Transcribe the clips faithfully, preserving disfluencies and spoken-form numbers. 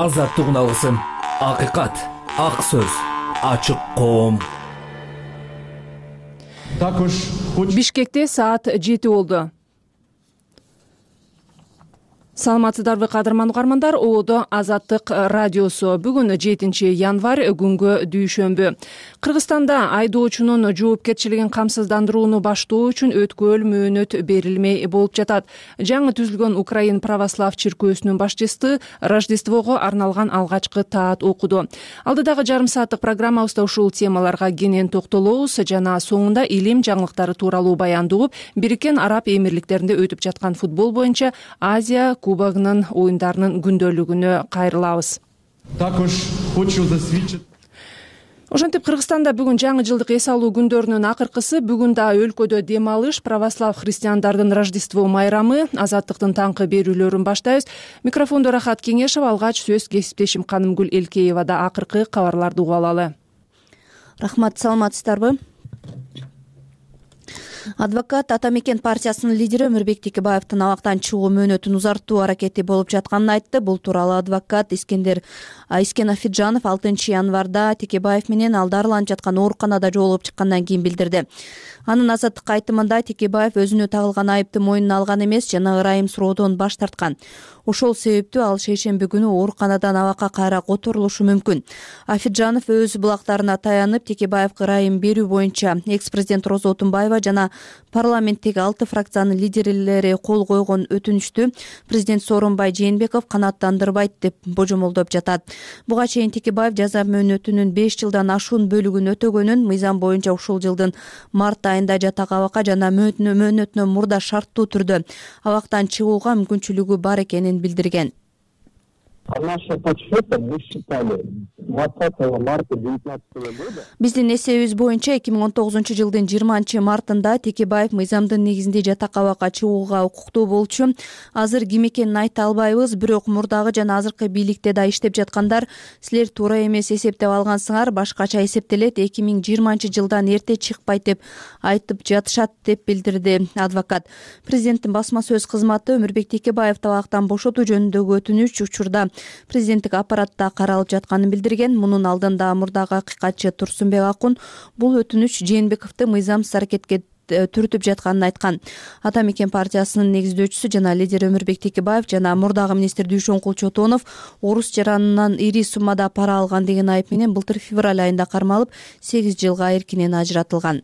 азаттык алгысым, акыйкат, ак сөз, ачык коом. Бишкекте саат жети болду. Саламатсыздарбы кадырман угармандар, Оодо Азаттык радиосу. Бүгүн жетинчи январь, күнгө дүйшөмбү. Кыргызстанда айдоочунун жоопкерчилигин камсыздандырууну баштоо үчүн өткөл мөөнөт берилмей болуп жатат. Жаңы түзүлгөн Украин православ чиркөөсүнүн башчысы Рождествого арналган алгачкы таат окуду. Алдыдагы жарым сааттык программабызда ушул темаларга кенен токтолобуз жана соңунда илим жаңылыктары тууралуу баяндоо угуп, Бириккен Араб Эмирликтеринде өтүп жаткан футбол боюнча Азия кубогунун оюндарынын күндөлүгүнө кайрылабыз. Ошентип, Кыргызстанда бүгүн жаңы жылдык эс алуу күндөрүнүн акыркысы. Бүгүн да өлкөдө дем алыш, православ христиандардын Рождество майрамы, азаттыктын таңкы берүүлөрүн баштайбыз. Микрофондо Рахат Кеңешов, алгач сөз кесиптешим Канымгүл Элкеевада. Акыркы кабарларды угуп алалы. Рахмат, саламатсыздарбы? Адвокат Ата Мекен партиясынын лидери Өмүрбек Текебаевдин абактан чыгуу мөөнөтүн узартуу аракети болуп жатканын айтты. Бул тууралуу адвокат Искендер Искен Афиджанов алтынчы январда Текебаев менен ал дарыланып жаткан ооруканада жолугуп чыккандан кийин билдирди. Анын азаттыкка айтымында Текебаев өзүнө тагылган айыпты мойнуна алган эмес жана ырайым суроодон баш тарткан. Ошол себептүү ал шейшемби күнү ооруканадан абакка кайра которулушу мүмкүн. Афиджанов өз булактарына таянып, Текебаевге ырайым берүү боюнча экс-президент Роза Отунбаева жана парламенттеги алты фракциянын лидерлери кол койгон өтүнүчтү президент Сооронбай Жээнбеков канааттандырбайт деп божомолдоп жатат. Буга чейин Текебаев жаза мөөнөтүнүн беш жылдан ашуун бөлүгүн өтөгөнүн, мыйзам боюнча ушул жылдын март айында жатак абакка жана мөөнөтүнөн мурда шарттуу түрдө абактан чыгууга мүмкүнчүлүгү бар экенин билдирген. Биздин эсебибиз боюнча эки миң он тогузунчу жылдын жыйырманчы мартында Текебаев мыйзамдын негизинде жатак абакка чыгууга укуктуу болчу. Азыр ким экенин айта албайбыз, бирок мурдагы жана азыркы бийликте да иштеп жаткандар силер туура эмес эсептеп алгансыңар, башкача эсептелет, эки миң жыйырманчы жылдан эрте чыкпайт деп айтып жатышат деп билдирди адвокат. Президенттин басма сөз кызматы Өмүрбек Текебаевди абактан бошотуу жөнүндөгү өтүнүч учурда президенттик аппаратта каралып жатканын билдирген. Мунун алдында мурдагы акыйкатчы Турсунбек Акун бул өтүнүч Жээнбековду мыйзамсыз аракетке түртүп жатканын айткан. Ата Мекен партиясынын негиздөөчүсү жана лидери Өмүрбек Текебаев жана мурдагы министр Дүйшөн Кулчотонов орус жаранынан ири суммада пара алган деген айып менен былтыр февраль айында кармалып, сегиз жылга эркинен ажыратылган.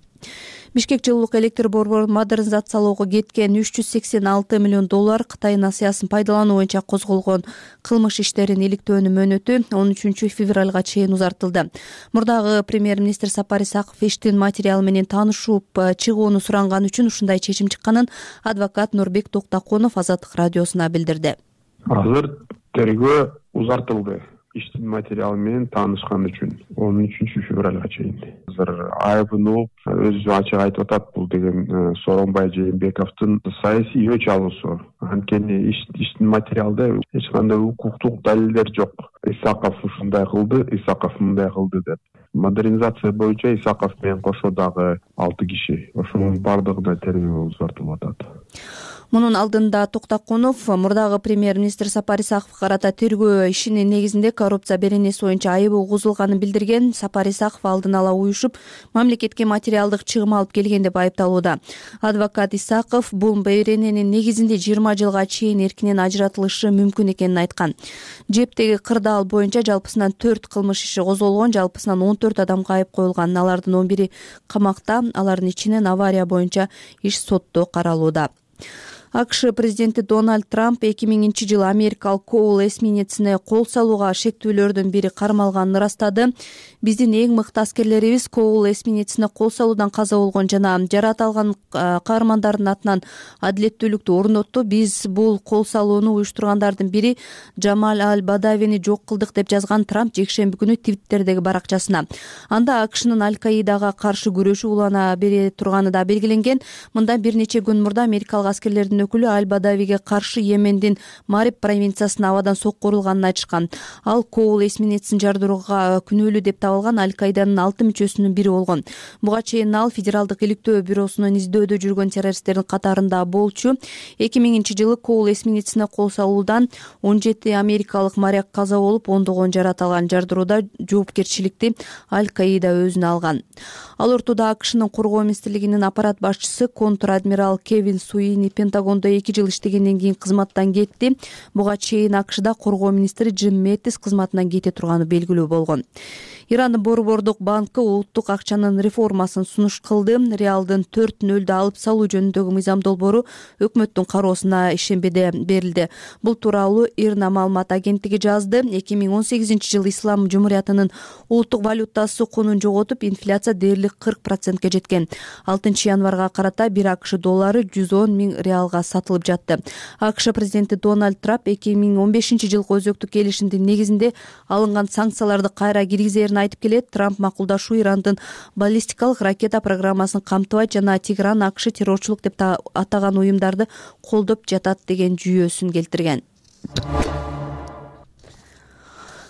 Бишкек жылуулук электр борборун модернизациялоого кеткен үч жүз сексен алты миллион доллар Кытай насыясын пайдалануу боюнча козголгон кылмыш иштерин иликтөөнүн мөөнөтү он үчүнчү февралга чейин узартылды. Мурдагы премьер-министр Сапар Исаков иштин материалы менен таанышып чыгууну суранган үчүн ушундай чечим чыкканын адвокат Нурбек Токтоконов Азаттык радиосуна билдирди. Азыр тергөө узартылды. Иштин материалы менен таанышкан үчүн он үчүнчү февралга чейин. Азыр айыбын угуп, өзү ачык айтып атат, бул деген Сооронбай Жээнбековдун саясий өч алуусу. Анткени иштин материалда эч кандай укуктук далилдер жок. Исаков ушундай кылды, Исаков мындай кылды деп. Модернизация боюнча Исаков менен кошо дагы алты киши. Ошонун бардыгына тергөө узартылып атат. Мунун алдында Токтоконов мурдагы премьер-министр Сапар Исаковго карата тергөө ишинин негизинде коррупция беренеси боюнча айыбы угузулганын билдирген. Сапар Исаков алдын ала уюшуп, мамлекетке материалдык чыгым алып келген деп айыпталууда. Адвокат Исаков бул берененин негизинде жыйырма жылга чейин эркинен ажыратылышы мүмкүн экенин айткан. Жептеги кырдаал боюнча жалпысынан төрт кылмыш иши козголгон, жалпысынан он төрт адамга айып коюлган. Алардын он бири камакта, алардын ичинен авария боюнча иш сотто каралууда. АКШ президенти Дональд Трамп эки миңинчи жылы америкалык Коул эсминецине кол салууга шектүүлөрдүн бири кармалганын ырастады. Биздин эң мыкты аскерлерибиз Коул эсминецине кол салуудан каза болгон жана жараат алган каармандардын атынан адилеттүүлүктү орнотту. Биз бул кол салууну уюштургандардын бири Джамаль Аль-Бадавини жок кылдык деп жазган Трамп жекшемби күнү Твиттердеги баракчасына. Анда АКШнын Аль-Каидага каршы күрөшүү улана бере турганы да белгиленген. Мында бир нече күн мурда америкалык аскерлердин партиясынын өкүлү Аль-Бадавиге каршы Йемендин Мариб провинциясына абадан сокку урулганын айтышкан. Ал Коул эсминецин жардырууга күнөөлүү деп табылган Аль-Каиданын алты мүчөсүнүн бири болгон. Буга чейин ал Федералдык иликтөө бюросунун издөөдө жүргөн террористтердин катарында болчу. эки миңинчи жылы Коул эсминецине кол салуудан он жети америкалык моряк каза болуп, ондогон жарат алган. Жардырууда жоопкерчиликти Аль-Каида өзүнө алган. Ал ортодо АКШнын коргоо министрлигинин аппарат башчысы контр-адмирал Кевин Суини Пентагондо эки жыл иштегенден кийин кызматтан кетти. Буга чейин АКШда коргоо министри Джим Мэттис кызматынан кете турганы белгилүү болгон. Ирандын Борбордук банкы улуттук акчанын реформасын сунуш кылды. Реалдын төрт нөлдү алып салуу жөнүндөгү мыйзам долбоору өкмөттүн кароосуна ишембеде берилди. Бул тууралуу ИРНА маалымат агенттиги жазды. эки миң он сегизинчи жылы Ислам Жумуриятынын улуттук валютасы кунун жоготуп, инфляция дээрлик кырк процентке жеткен. алтынчы январга карата бир АКШ доллары жүз он миң реалга сатылып жатты. АКШ президенти Дональд Трамп эки миң он бешинчи жылкы өзөктүк келишимдин негизинде алынган санкцияларды кайра киргизерин айтып келет. Трамп макулдашуу Ирандын баллистикалык ракета программасын камтыбайт жана Тегеран АКШ террорчулук деп атаган уюмдарды колдоп жатат деген жүйөсүн келтирген.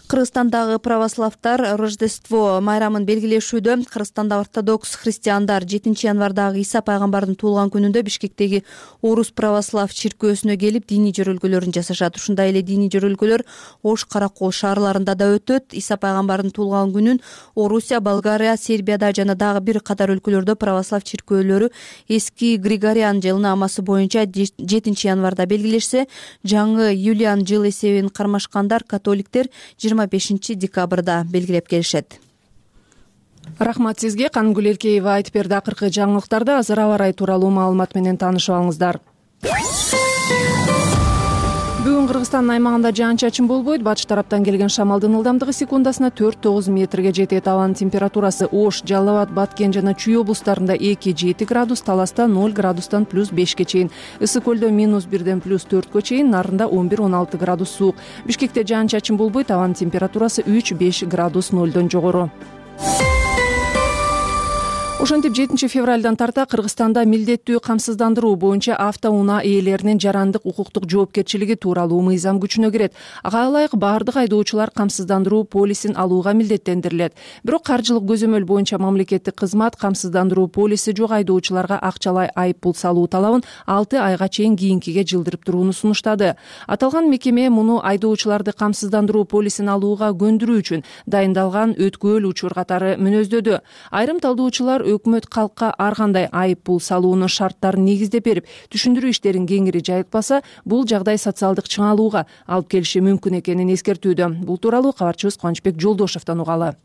Кыргызстандагы православтар Рождество майрамын белгилешүүдө. Кыргызстанда ортодокс христиандар жетинчи январдагы Иса пайгамбардын туулган күнүндө Бишкектеги Орус православ чиркөөсүнө келип диний жөрөлгөлөрүн жасашат. Ушундай эле диний жөрөлгөлөр Ош, Каракол шаарларында да өтөт. Иса пайгамбардын туулган күнүн Орусия, Болгария, Сербияда жана дагы бир катар өлкөлөрдө православ чиркөөлөрү эски Григориан жылнаамасы боюнча жетинчи январда белгилешсе, жаңы Юлиан жыл эсебин кармашкандар католиктер жыйырма бешинчи декабрда белгилеп келишет. Рахмат сизге. Кангүл Эркеева айтып берди акыркы жаңылыктарды. Азыр аба ырайы тууралуу маалымат менен таанышып алыңыздар. Бүгүн Кыргызстандын аймагында жаан-чачын болбойт. Батыш тараптан келген шамалдын ылдамдыгы секундасына төрт тогуз метрге жетет. Абанын температурасы Ош, Жалал Абад, Баткен жана Чүй облустарында эки жети градус, Таласта ноль градустан плюс бешке чейин, Ысык көлдө минус бирден плюс төрткө чейин, Нарында он бир он алты градус суук. Бишкекте жаан-чачын болбойт. Абанын температурасы үч беш градус нолдон жогору. Ошентип жетинчи февралдан тарта Кыргызстанда милдеттүү камсыздандыруу боюнча автоунаа ээлеринин жарандык укуктук жоопкерчилиги тууралуу мыйзам күчүнө кирет. Ага ылайык баардык айдоочулар камсыздандыруу полисин алууга милдеттендирилет. Бирок каржылык көзөмөл боюнча мамлекеттик кызмат камсыздандыруу полиси жок айдоочуларга акчалай айып пул салуу талабын алты айга чейин кийинкиге жылдырып турууну сунуштады. Аталган мекеме муну айдоочуларды камсыздандыруу полисин алууга көндүрүү үчүн дайындалган өткөөл учур катары мүнөздөдү. Айрым талдоочулар өкмөт калкка ар кандай айып пул салуунун шарттарын негиздеп берип, түшүндүрүү иштерин кеңири жайылтпаса, бул жагдай социалдык чыңалууга алып келиши мүмкүн экенин эскертүүдө. Бул тууралуу кабарчыбыз Кубанычбек Жолдошевдон угалы.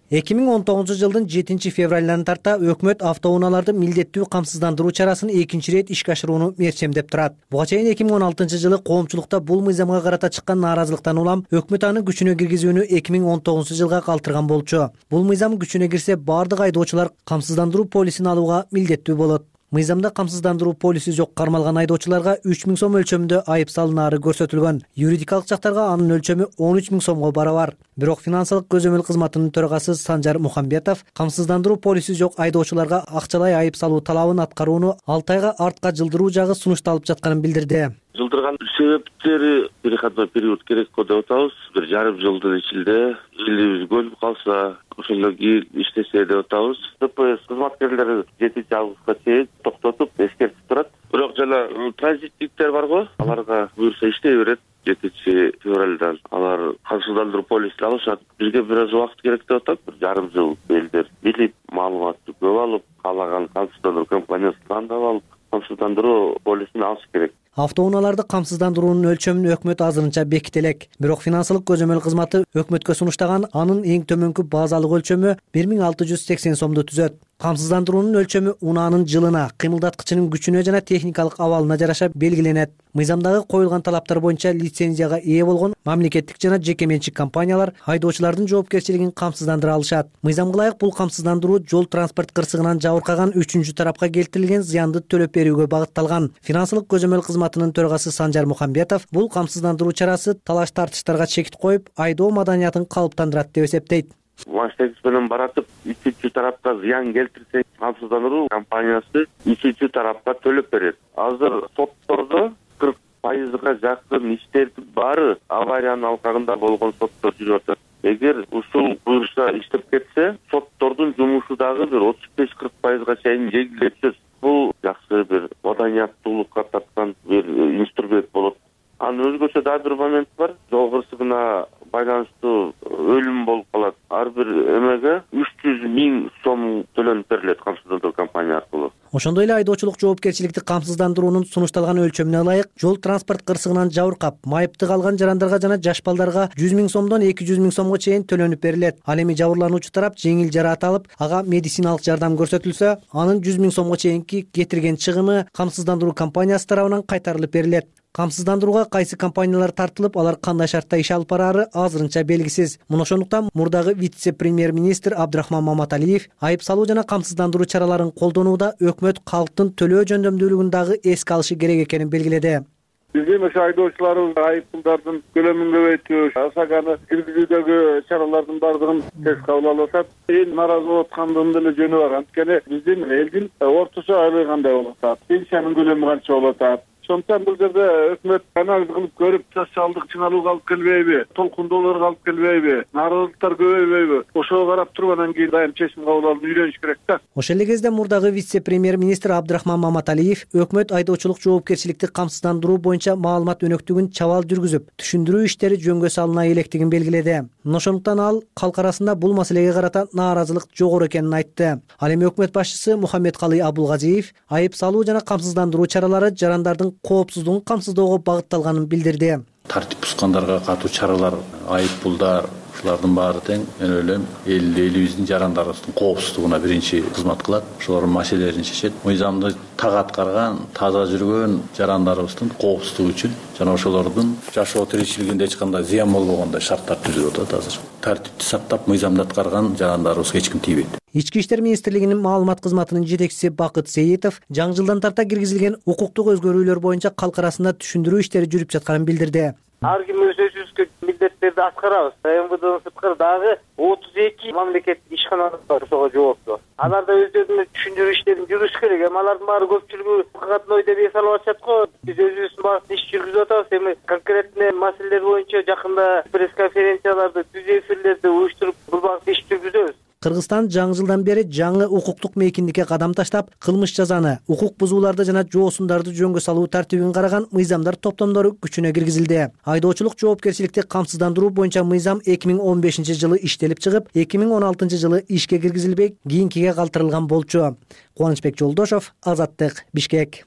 эки миң он тогузунчу жылдын жетинчи февралынан тарта өкмөт автоунааларды милдеттүү камсыздандыруу чарасын экинчи ирет ишке ашырууну мерчемдеп турат. Буга чейин эки миң он алтынчы жылы коомчулукта бул мыйзамга карата чыккан нааразылыктан улам өкмөт аны күчүнө киргизүүнү эки миң он тогузунчу жылга калтырган болчу. Бул мыйзам күчүнө кирсе, баардык айдоочулар камсыздандыруу полисин алууга милдеттүү болот. Мыйзамда камсыздандыруу полиси жок кармалган айдоочуларга үч миң сом өлчөмүндө айып салынаары көрсөтүлгөн. Юридикалык жактарга анын өлчөмү он үч миң сомго барабар. Бирок финансылык көзөмөл кызматынын төрагасы Санжар Мухамбетов камсыздандыруу полиси жок айдоочуларга акчалай айып салуу талабын аткарууну алты айга артка жылдыруу жагы сунушталып жатканын билдирди. Жылдырган себептери переходной период керек го деп атабыз. Бир жарым жылдын ичинде элибиз көнүп калса, ошондон кийин иштесе деп атабыз. ДПС кызматкерлери жетинчи августка чейин токтотуп эскертип турат. Бирок жана транзиттиктер барго, аларга буюрса иштей берет. жетинчи февралдан алар камсыздандыруу полисин алышат. Бизге бир аз убакыт керек деп атат. Бир жарым жыл элдер билип, маалыматты көп алып, каалаган камсыздандыруу компаниясын тандап алып, камсыздандыруу полисин алыш керек. Автоунааларды камсыздандыруунун өлчөмүн өкмөт азырынча беките элек. Бирок финансылык көзөмөл кызматы өкмөткө сунуштаган анын эң төмөнкү базалык өлчөмү бир миң алты жүз сексен сомду түзөт. Камсыздандыруунун өлчөмү унаанын жылына, кыймылдаткычынын күчүнө жана техникалык абалына жараша белгиленет. Мыйзамдагы коюлган талаптар боюнча лицензияга ээ болгон мамлекеттик жана жеке менчик компаниялар айдоочулардын жоопкерчилигин камсыздандыра алышат. Мыйзамга ылайык бул камсыздандыруу жол транспорт кырсыгынан жабыркаган үчүнчү тарапка келтирилген зыянды төлөп берүүгө багытталган. Финансылык көзөмөл кызматынын төрагасы Санжар Мухамбетов бул камсыздандыруу чарасы талаш тартыштарга чекит коюп, айдоо маданиятын калыптандырат деп эсептейт. Маштекс менен баратып үчүнчү тарапка зыян келтирсе, камсыздандыруу компаниясы үчүнчү тарапка төлөп берет. Азыр соттордо кырк пайызга жакын иштердин баары авариянын алкагында болгон соттор жүрүп атат. Эгер ушул буюрса иштеп кетсе, соттордун жумушу дагы бир отуз беш кырк пайызга чейин жеңилдеп түшөт. Бул жакшы бир маданияттуулукка тарткан бир инструмент болот. Анын өзгөчө дагы бир момент бар. Жол кырсыгына байланыштуу өлүм болуп калат. Ар бир эмеге үч жүз миң сом төлөнүп берилет камсыздандыруу компания аркылуу. Ошондой эле айдоочулук жоопкерчиликти камсыздандыруунун сунушталган өлчөмүнө ылайык жол транспорт кырсыгынан жабыркап, майыпты калган жарандарга жана жаш балдарга жүз миң сомдон эки жүз миң сомго чейин төлөнүп берилет. Ал эми жабырлануучу тарап жеңил жараат алып, ага медициналык жардам көрсөтүлсө, анын жүз миң сомго чейинки кетирген чыгымы камсыздандыруу компаниясы тарабынан кайтарылып берилет. Камсыздандырууга кайсы компаниялар тартылып, алар кандай шартта иш алып бараары азырынча белгисиз. Муну ошондуктан мурдагы вице-премьер-министр Абдрахман Маматалиев айып салуу жана камсыздандыруу чараларын колдонууда өкмөт калктын төлөө жөндөмдүүлүгүн дагы эске алышы керек экенин белгиледи. Биздин ошо айдоочуларыбыз айып пулдардын көлөмүн көбөйтүү, ОСАГаны киргизүүдөгү чаралардын баардыгын тез кабыл алып атат. Эл нааразы болуп аткандын деле жөнү бар. Анткени биздин элдин орточо айлыгы кандай болуп атат, пенсиянын көлөмү канча болуп атат. Ошондуктан бул жерде өкмөт анализ кылып көрүп, социалдык чыңалууга алып келбейби, толкундоолорго алып келбейби, нааразылыктар көбөйбөйбү, ошого карап туруп анан кийин дайым чечим кабыл алып үйлөнүш керек да. Ошол эле кезде мурдагы вице-премьер-министр Абдрахман Маматалиев өкмөт айдоочулук жоопкерчиликти камсыздандыруу боюнча маалымат өнөктүгүн чабал жүргүзүп, түшүндүрүү иштери жөнгө салына электигин белгиледи. Ошондуктан ал калк арасында бул маселеге карата нааразылык жогору экенин айтты. Ал эми өкмөт башчысы Мухаммедкалый Абулгазиев айып салуу жана камсыздандыруу чаралары жарандардын коопсуздугун камсыздоого багытталганын билдирди. Тартип бузгандарга катуу чаралар, айып пулдар, ушулардын баары тең мен ойлойм эл элибиздин жарандарыбыздын коопсуздугуна биринчи кызмат кылат. Ошолордун маселелерин чечет. Мыйзамды так аткарган, таза жүргөн жарандарыбыздын коопсуздугу үчүн жана ошолордун жашоо тиричилигинде эч кандай зыян болбогондой шарттар түзүлүп атат азыр. Тартипти сактап, мыйзамды аткарган жарандарыбызга эч ким тийбейт. Ички иштер министрлигинин маалымат кызматынын жетекчиси Бакыт Сейитов жаңы жылдан тарта киргизилген укуктук өзгөрүүлөр боюнча калк арасында түшүндүрүү иштери жүрүп жатканын билдирди. Ар ким өз өзүбүзгө милдеттерди аткарабыз. эм вэ дэнын сырткары дагы отуз эки мамлекеттик ишканабыз бар ошого жооптуу. Алар да өздөрүнүн түшүндүрүү иштерин жүргүзүш керек. Эми алардын баары көпчүлүгү катной деп эс алып атышат го. Биз өзүбүздүн багытта иш жүргүзүп атабыз. Эми конкретный маселелер боюнча жакында пресс-конференцияларды, түз эфирлерди уюштуруп бул багытта иш жүргүзөбүз. Кыргызстан жаңы жылдан бери жаңы укуктук мейкиндикке кадам таштап, кылмыш жазаны, укук бузууларды жана жоосундарды жөнгө салуу тартибин караган мыйзамдар топтомдору күчүнө киргизилди. Айдоочулук жоопкерчиликти камсыздандыруу боюнча мыйзам эки миң он бешинчи жылы иштелип чыгып, эки миң он алтынчы жылы ишке киргизилбей, кийинкиге калтырылган болчу. Кубанычбек Жолдошов, Азаттык, Бишкек.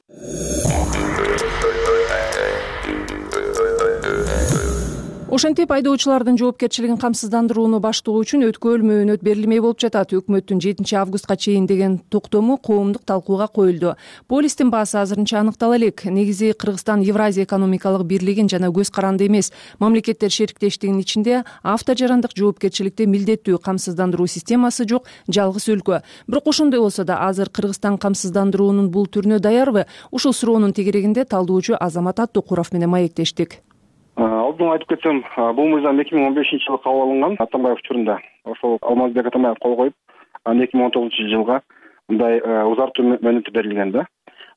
Ошентип айдоочулардын жоопкерчилигин камсыздандырууну баштоо үчүн өткөл мөөнөт берилмей болуп жатат. Өкмөттүн жетинчи августка чейин деген токтому коомдук талкууга коюлду. Полистин баасы азырынча аныктала элек. Негизи Кыргызстан Евразия экономикалык бирлигин жана көз каранды эмес мамлекеттер шериктештигинин ичинде автожарандык жоопкерчиликти милдеттүү камсыздандыруу системасы жок жалгыз өлкө. Бирок ошондой болсо да азыр Кыргызстан камсыздандыруунун бул түрүнө даярбы? Ушул суроонун тегерегинде талдоочу Азамат Аттокуров менен маектештик. Алдын айтып кетсем, бул мыйзам эки миң он бешинчи жылы кабыл алынган Атамбаев учурунда. Ошол Алмазбек Атамбаев кол коюп, эки миң он тогузунчу жылга мындай узартуу мөөнөтү берилген да.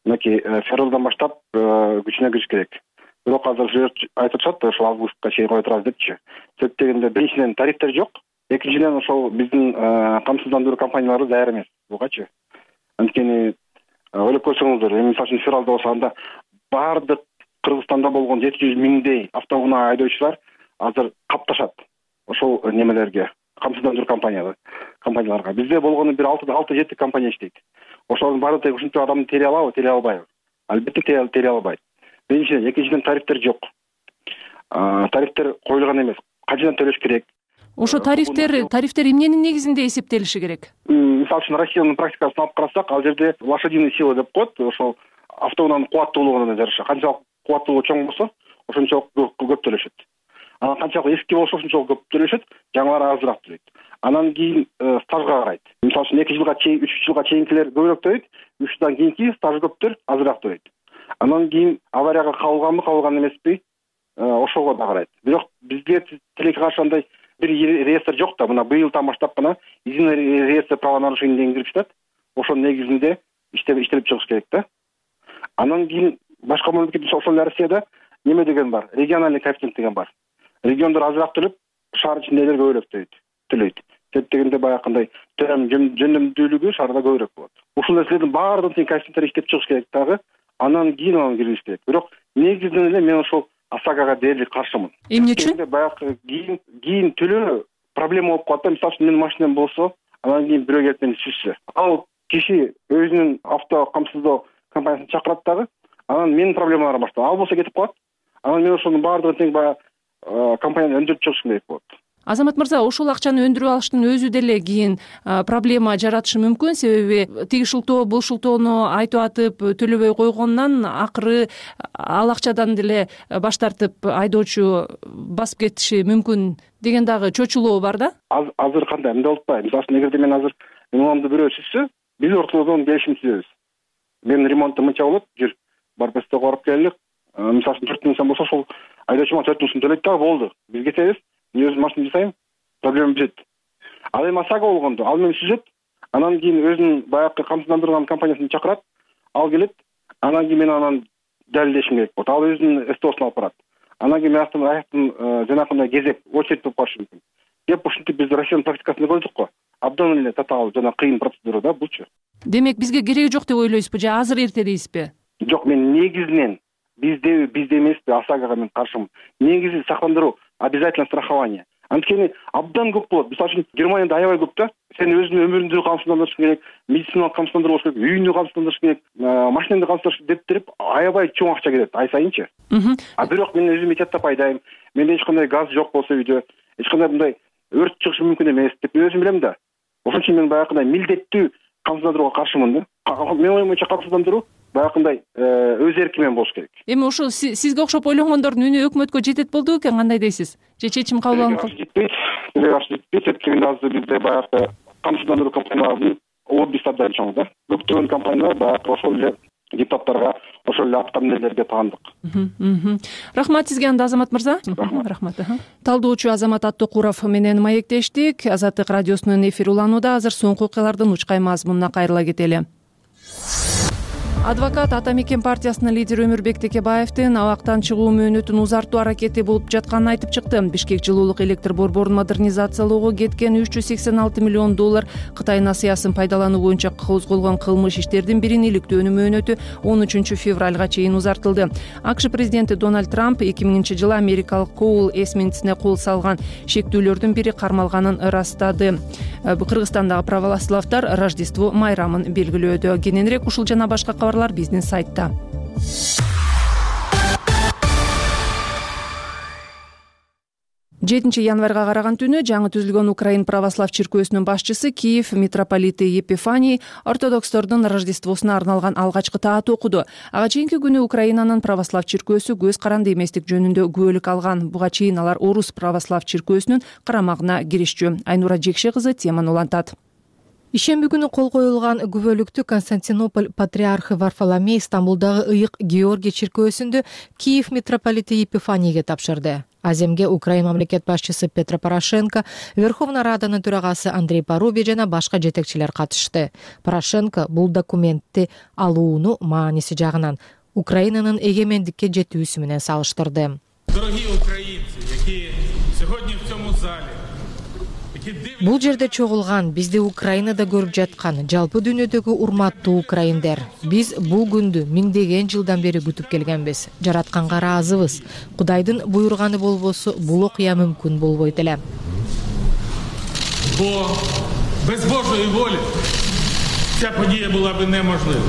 Мынакей февралдан баштап күчүнө кириш керек. Бирок азыр айтып атышат, ошол августка чейин кое турабыз депчи. Себеп дегенде биринчиден тарифтер жок, экинчиден ошол биздин камсыздандыруу компаниялары даяр эмес бугачы. Анткени ойлоп көрсөңүздөр, эми мисалы үчүн февралда болсо анда баардык Кыргызстанда болгон жети жүз миңдей автоунаа айдоочулар азыр капташат ошол немелерге, камсыздандыруу компаниялар компанияларга. Бизде болгону бир алты жети компания иштейт. Ошолордун баары тең ушунча адамды тере алабы, тере албайбы? Албетте тере албайт. Биринчиден, экинчиден тарифтер жок. Тарифтер коюлган эмес. Качадан төлөш керек? Ошо тарифтер тарифтер эмненин негизинде эсептелиши керек? Мисалы үчүн Россиянын практикасын алып карасак, ал жерде лошадиный сила деп коет, ошол автоунаанын кубаттуулугуна жараша. Канчалык кубаттуулугу чоң болсо, ошончолук көп төлөшөт. Анан канчалык эски болсо, ошончолук көп төлөшөт, жаңылары азыраак төлөйт. Анан кийин стажга карайт. Мисалы үчүн эки жылга чейин, үч жылга чейинкилер көбүрөөк төлөйт, үч жылдан кийинки стажы көптөр азыраак төлөйт. Анан кийин аварияга кабылганбы, кабылган эмеспи, ошого да карайт. Бирок бизге тилекке каршы андай бир реестр жок да, мына быйылдан баштап гана единый реестр правонарушений деген кирип жатат. Ошонун негизинде иштеп иштелип чыгыш керек да. Анан кийин башка мамлекет ошол Россияда неме деген бар, региональный коэффициент деген бар. Региондор азыраак төлөп, шаар ичиндегилер көбүрөөк төлөйт. Деп дегенде баягындай төрөм жөндөмдүүлүгү шаарда көбүрөөк болот. Ушул нерселердин баардыгын тең коэффициенттер иштеп чыгыш керек дагы. Анан кийин анан кириш керек. Бирок негизинен эле мен ошол ОСАГОга дээрлик каршымын. Эмне үчүн? Баягы кийин кийин төлөө проблема болуп калат да. Мисалы үчүн менин машинам болсо, анан кийин бирөө келип мени сүзсө, ал киши өзүнүн авто камсыздоо компаниясын чакырат дагы, анан менин проблемаларым башталат. Ал болсо кетип калат. Анан мен ошонун баардыгын тең баягы компанияны өндүрүп чыгышым керек болот. Азамат мырза, ошол акчаны өндүрүп алыштын өзү деле кийин проблема жаратышы мүмкүн, себеби тиги шылтоо бул шылтоону айтып атып төлөбөй койгондон акыры ал акчадан деле баш тартып айдоочу басып кетиши мүмкүн деген дагы чочулоо бар да. Азыр кандай эмне болуп атпайбы? Мисалы үчүн эгерде мен азыр имамды бирөө сүзсө, биз ортодон келишим түзөбүз. Менин ремонтум мынча болот, жүр барып эстеге барып келелик. Мисалы үчүн төрт миң сом болсо, ошол айдоочума төрт миң сом төлөйт дагы болду. Биз кетебиз. Мен өзүм машина жасайм, проблема бүтөт. Ал эми ОСАГО болгондо, ал мени сүзөт, анан кийин өзүнүн баягы камсыздандырган компаниясын чакырат, ал келет, анан кийин мен анан далилдешим керек болот. Ал өзүнүн СТОсун алып барат. Анан кийин мен аяктан аяктан жанагындай кезеп, очередь болуп калышы мүмкүн. Деп ушинтип биз Россиянын практикасында көрдүк го. Абдан эле татаал жана кыйын процедура да булчу. Демек бизге кереги жок деп ойлойсузбу же азыр эрте дейсизби? Жок, мен негизинен бизде бизде эмеспи, ОСАГОга мен каршымын. Негизи сактандыруу, обязательно страхование. Анткени абдан көп болот. Мисалы үчүн Германияда аябай көп да. Сен өзүнүн өмүрүңдү камсыздандырыш керек, медициналык камсыздандыруу болуш керек, үйүңдү камсыздандырыш керек, машинаңды камсыздандырыш деп туруп аябай чоң акча кетет ай сайынчы. А бирок мен өзүм эч атап айдайм. Менде эч кандай газ жок болсо үйдө, эч кандай мындай өрт чыгышы мүмкүн эмес деп мен өзүм билем да. Ошон үчүн мен баягындай милдеттүү камсыздандырууга каршымын да. Мен оюм боюнча камсыздандыруу баягындай өз эркимен болуш керек. Эми ошол сизге окшоп ойлогондордун үнү өкмөткө жетет болду бекен, кандай дейсиз? Же чечим кабыл алынып жетпейт? Жетпейт дегенде азыр бизде баягы камсыздандыруу компанияларынын лоббисти абдан чоң да. Көптөгөн компаниялар баягы ошол эле депутаттарга, ошол эле аткаминерлерге таандык. Рахмат сизге анда Азамат мырза. Рахмат. Талдоочу Азамат Аттокуров менен маектештик. Азаттык радиосунун эфири уланууда. Азыр соңку окуялардын учкай мазмунуна кайрыла кетели. Адвокат Ата мекен партиясынын лидери Өмүрбек Текебаевдин абактан чыгуу мөөнөтүн узартуу аракети болуп жатканын айтып чыкты. Бишкек жылуулук электр борборун модернизациялоого кеткен үч жүз сексен алты миллион доллар Кытай насыясын пайдалануу боюнча козголгон кылмыш иштердин бирин иликтөөнүн мөөнөтү он үчүнчү февралга чейин узартылды. АКШ президенти Дональд Трамп эки миңинчи жылы америкалык Коул эсминцине кол салган шектүүлөрдүн бири кармалганын ырастады. Кыргызстандагы православдар Рождество майрамын белгилөөдө. Кененирээк ушул жана башка кабарлар биздин сайтта. жетинчи январга караган түнү жаңы түзүлгөн Украин православ чиркөөсүнүн башчысы Киев митрополити Епифаний ортодокстордун Рождествосуна арналган алгачкы таат окуду. Ага чейинки күнү Украинанын православ чиркөөсү көз каранды эместик жөнүндө күбөлүк алган. Буга чейин алар Орус православ чиркөөсүнүн карамагына киришчү. Айнура Жекше кызы теманы улантат. Ишемби күнү кол коюлган күбөлүктү Константинополь патриархы Варфоломей Стамбулдагы Ыйык Георгий чиркөөсүндө Киев митрополити Епифанийге тапшырды. Аземге Украин мамлекет башчысы Петро Порошенко, Верховная Раданын төрагасы Андрей Парубий жана башка жетекчилер катышты. Порошенко бул документти алууну мааниси жагынан Украинанын эгемендикке жетүүсү менен салыштырды. Дорогие украинцы, які сьогодні в цьому залі Бул жерде чогулган, бизди Украинада көрүп жаткан жалпы дүйнөдөгү урматтуу украиндер, биз бул күндү миңдеген жылдан бери күтүп келгенбиз. Жаратканга ыраазыбыз. Кудайдын буйруганы болбосо бул окуя мүмкүн болбойт эле. Бо без Божої волі ця подія була би неможлива.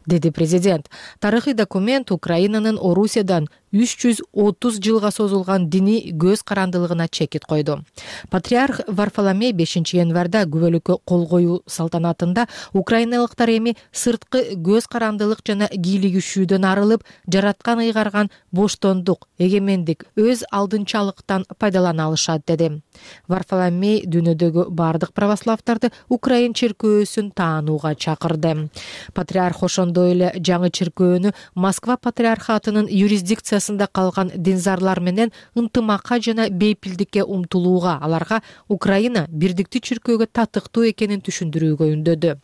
Деди президент. Тарыхый документ Украинанын Орусиядан үч жүз отуз жылга созулган диний көз карандылыгына чекит койду. Патриарх Варфоломей бешинчи январда күбөлүккө кол коюу салтанатында украиналыктар эми сырткы көз карандылык жана кийлигишүүдөн арылып, жараткан ыйгарган боштондук, эгемендик, өз алдынчалыктан пайдалана алышат деди. Варфоломей дүйнөдөгү бардык православдарды Украин чиркөөсүн таанууга чакырды. Патриарх ошондой эле жаңы чиркөөнү Москва патриархатынын юрисдикциясы арасында калган динзарлар менен ынтымакка жана бейпилдикке умтулууга, аларга Украина бирдиктүү чиркөөгө татыктуу экенин түшүндүрүүгө үндөдү.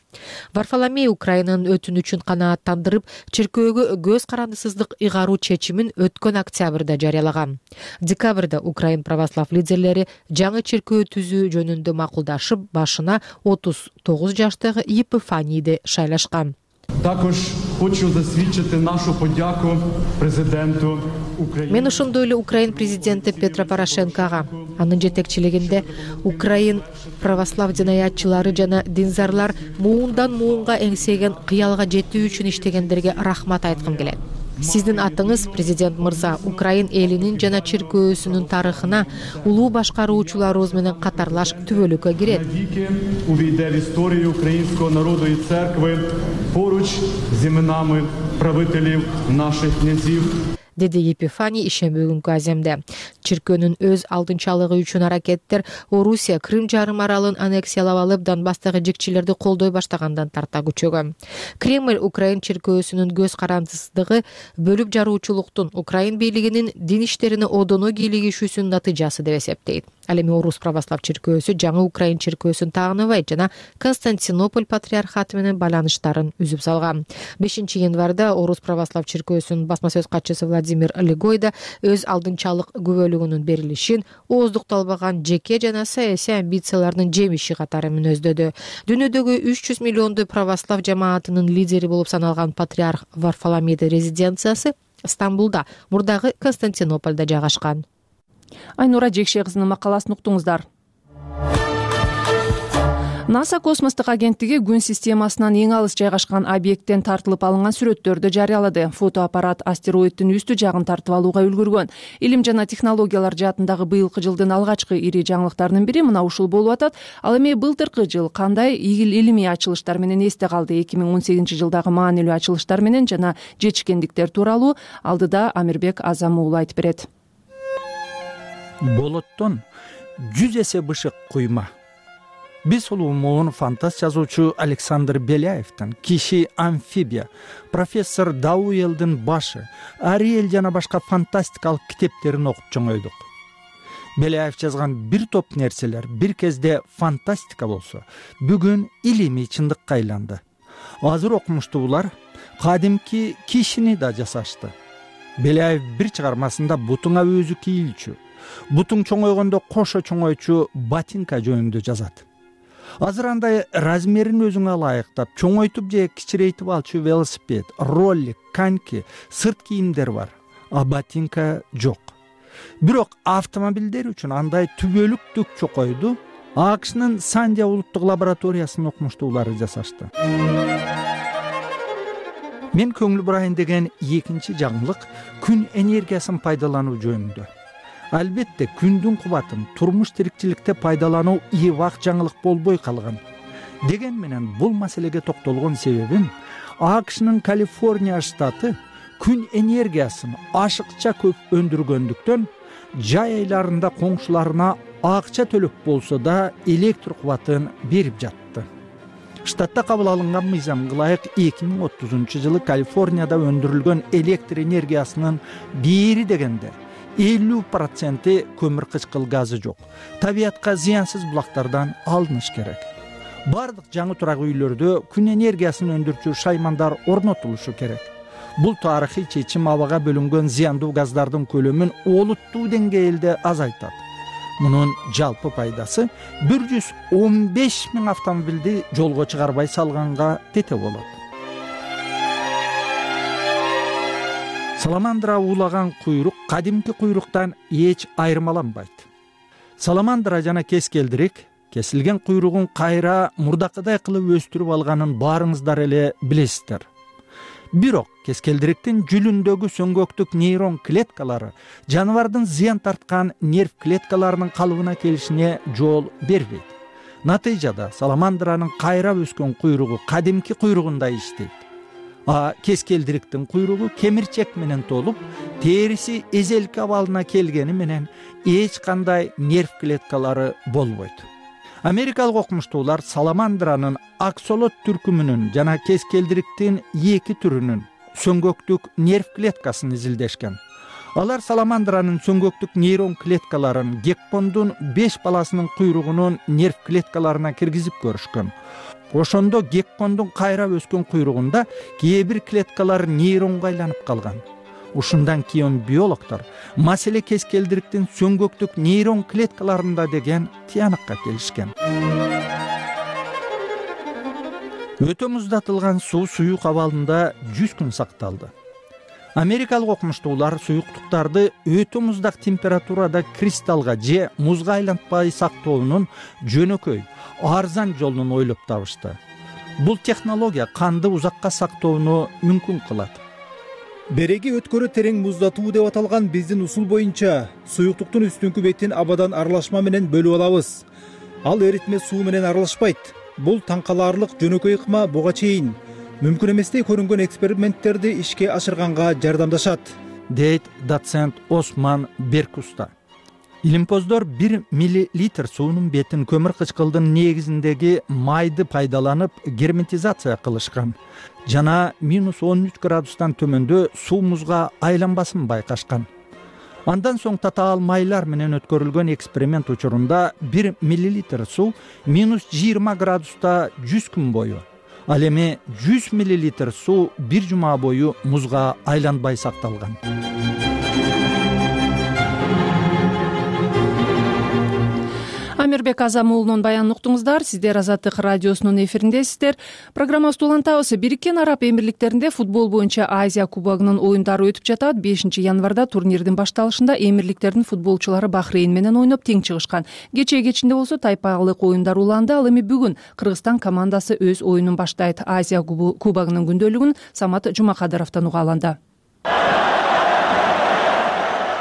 Варфоломей Украинанын өтүнүчүн канааттандырып, чиркөөгө көз карандысыздык ыйгаруу чечимин өткөн октябрда жарыялаган. Декабрда Украин православ лидерлери жаңы чиркөө түзүү жөнүндө макулдашып, башына отуз тогуз жаштагы Епифанийди шайлашкан. Також хочу засвідчити нашу подяку президенту України. Мен ошондой эле Украин президенти Петро Порошенкого, анын жетекчилигинде Украин православ динаятчылары жана динзарлар муундан муунга эңсеген кыялга жетүү үчүн иштегендерге рахмат айткым келет. Сиздин атыңыз, президент мырза, Украин элинин жана чиркөөсүнүн тарыхына улуу башкаруучуларыбыз менен катарлаш түбөлүккө кирет. Увійде в історію українського народу і церкви поруч з іменами правителів наших князів. Деди Епифаний ишемби күнкү аземде. Чиркөөнүн өз алдынчалыгы үчүн аракеттер Орусия Крым жарым аралын аннексиялап алып, Донбасстагы жикчилерди колдой баштагандан тарта күчөгөн. Кремль Украин чиркөөсүнүн көз карандысыздыгы бөлүп жаруучулуктун Украин бийлигинин дин иштерине одоно кийлигишүүсүнүн натыйжасы деп эсептейт. Ал эми Орус православ чиркөөсү жаңы Украин чиркөөсүн таагынабайт жана Константинополь патриархаты менен байланыштарын үзүп салган. бешинчи январда Орус православ чиркөөсүнүн басма сөз катчысы Владимир Легойда өз алдынчалык күбөлүгүнүн берилишин ооздукталбаган жеке жана саясий амбицияларынын жемиши катары мүнөздөдү. Дүйнөдөгү үч жүз миллиондуу православ жамаатынын лидери болуп саналган патриарх Варфоломейдин резиденциясы Стамбулда, мурдагы Константинопольдо жайгашкан. Айнура Жекше кызынын макаласын уктуңуздар. НАСА космостук агенттиги күн системасынан эң алыс жайгашкан объекттен тартылып алынган сүрөттөрдү жарыялады. Фотоаппарат астероиддин үстү жагын тартып алууга үлгүргөн. Илим жана технологиялар жаатындагы быйылкы жылдын алгачкы ири жаңылыктарынын бири мына ушул болуп атат. Ал эми былтыркы жыл кандай илимий ачылыштар менен эсте калды? эки миң он сегизинчи жылдагы маанилүү ачылыштар менен жана жетишкендиктер тууралуу алдыда Амирбек Азам уулу айтып берет. Болоттон жүз эсе бышык куйма. Биз улуу моун фантаст жазуучу Александр Беляевдин «Киши амфибия», профессор Дауэлдин «Башы», Ариэль жана башка фантастикалык китептерин окуп чоңойдук. Беляев жазган бир топ нерселер бир кезде фантастика болсо, бүгүн илимий чындыкка айланды. Азыр окумуштуулар кадимки кишини да жасашты. Беляев бир чыгармасында бутуңа өзү кийилчү, бутуң чоңойгондо кошо чоңойчу ботинка жөнүндө жазат. Азыр андай размерин өзүңө ылайыктап, чоңойтуп же кичирейтип алчу велосипед, роллик, коньки, сырт кийимдер бар, а ботинка жок. Бирок автомобилдер үчүн андай түбөлүктүк чокойду АКШнын Сандия улуттук лабораториясынын окумуштуулары жасашты. Мен көңүл бурайын деген экинчи жаңылык күн энергиясын пайдалануу жөнүндө. Албетте күндүн кубатын турмуш тирикчиликте пайдалануу ийбак жаңылык болбой калган. Деген менен бул маселеге токтолгон себебим АКШнын Калифорния штаты күн энергиясын ашыкча көп өндүргөндүктөн жай айларында коңшуларына акча төлөп болсо да электр кубатын берип жатты. Штатта кабыл алынган мыйзамга ылайык эки миң отузунчу жылы Калифорнияда өндүрүлгөн электр энергиясынын бери дегенде элүү проценти көмүр кычкыл газы жок. Табиятка зыянсыз булактардан алыныш керек. Бардык жаңы турак үйлөрдө күн энергиясын өндүрчү шаймандар орнотулушу керек. Бул тарыхый чечим абага бөлүнгөн зыяндуу газдардын көлөмүн олуттуу деңгээлде азайтат. Мунун жалпы пайдасы бир жүз он беш миң автомобилди жолго чыгарбай салганга тете болот. Саламандра уулаган куйрук кадимки куйруктан эч айырмаланбайт. Саламандра жана кескелдирик кесилген куйругун кайра мурдакыдай кылып өстүрүп алганын баарыңыздар эле билесиздер. Бирок кескелдириктин жүлүндөгү сөңгөктүк нейрон клеткалары жаныбардын зыян тарткан нерв клеткаларынын калыбына келишине жол бербейт. Натыйжада саламандранын кайра өскөн куйругу кадимки куйругундай иштейт. А кескелдириктин куйругу кемирчек менен толуп, териси эзелки абалына келгени менен эч кандай нерв клеткалары болбойт. Америкалык окумуштуулар саламандранын аксолот түркүмүнүн жана кескелдириктин эки түрүнүн сөңгөктүк нерв клеткасын изилдешкен. Алар саламандранын сөңгөктүк нейрон клеткаларын геккондун беш баласынын куйругунун нерв клеткаларына киргизип көрүшкөн. Ошондо геккондун кайра өскөн куйругунда кээ бир клеткалар нейронго айланып калган. Ушундан кийин биологдор маселе кескелдириктин сөңгөктүк нейрон клеткаларында деген тыянакка келишкен. Өтө муздатылган суу суюк абалында жүз күн сакталды. Америкалык окумуштуулар суюктуктарды өтө муздак температурада кристаллга же музга айлантпай сактоонун жөнөкөй, арзан жолун ойлоп табышты. Бул технология канды узакка сактоону мүмкүн кылат. Береги өткөрү терең муздатуу деп аталган биздин усул боюнча суюктуктун үстүңкү бетин абадан аралашма менен бөлүп алабыз. Ал эритме суу менен аралашпайт. Бул таң калаарлык жөнөкөй ыкма буга чейин мүмкүн эместей көрүнгөн эксперименттерди ишке ашырганга жардамдашат, дейт доцент Осман Беркуста. Илимпоздор бир миллилитр суунун бетин көмүр кычкылдын негизиндеги майды пайдаланып герметизация кылышкан жана минус он үч градустан төмөндө суу музга айланбасын байкашкан. Андан соң татаал майлар менен өткөрүлгөн эксперимент учурунда бир миллилитр суу минус жыйырма градуста жүз күн бою, ал эми жүз миллилитр суу бир жума бою музга айланбай сакталган. Амирбек Азам уулунун баянын уктуңуздар. Сиздер Азаттык радиосунун эфириндесиздер. Программабызды улантабыз. Бириккен Араб Эмирликтеринде футбол боюнча Азия кубогунун оюндары өтүп жатат. бешинчи январда турнирдин башталышында Эмирликтердин футболчулары Бахрейн менен ойноп тең чыгышкан. Кечээ кечинде болсо тайпалык оюндар уланды. Ал эми бүгүн Кыргызстан командасы өз оюнун баштайт. Азия кубогунун күндөлүгүн Самат Жумакадыровдон уга алынды.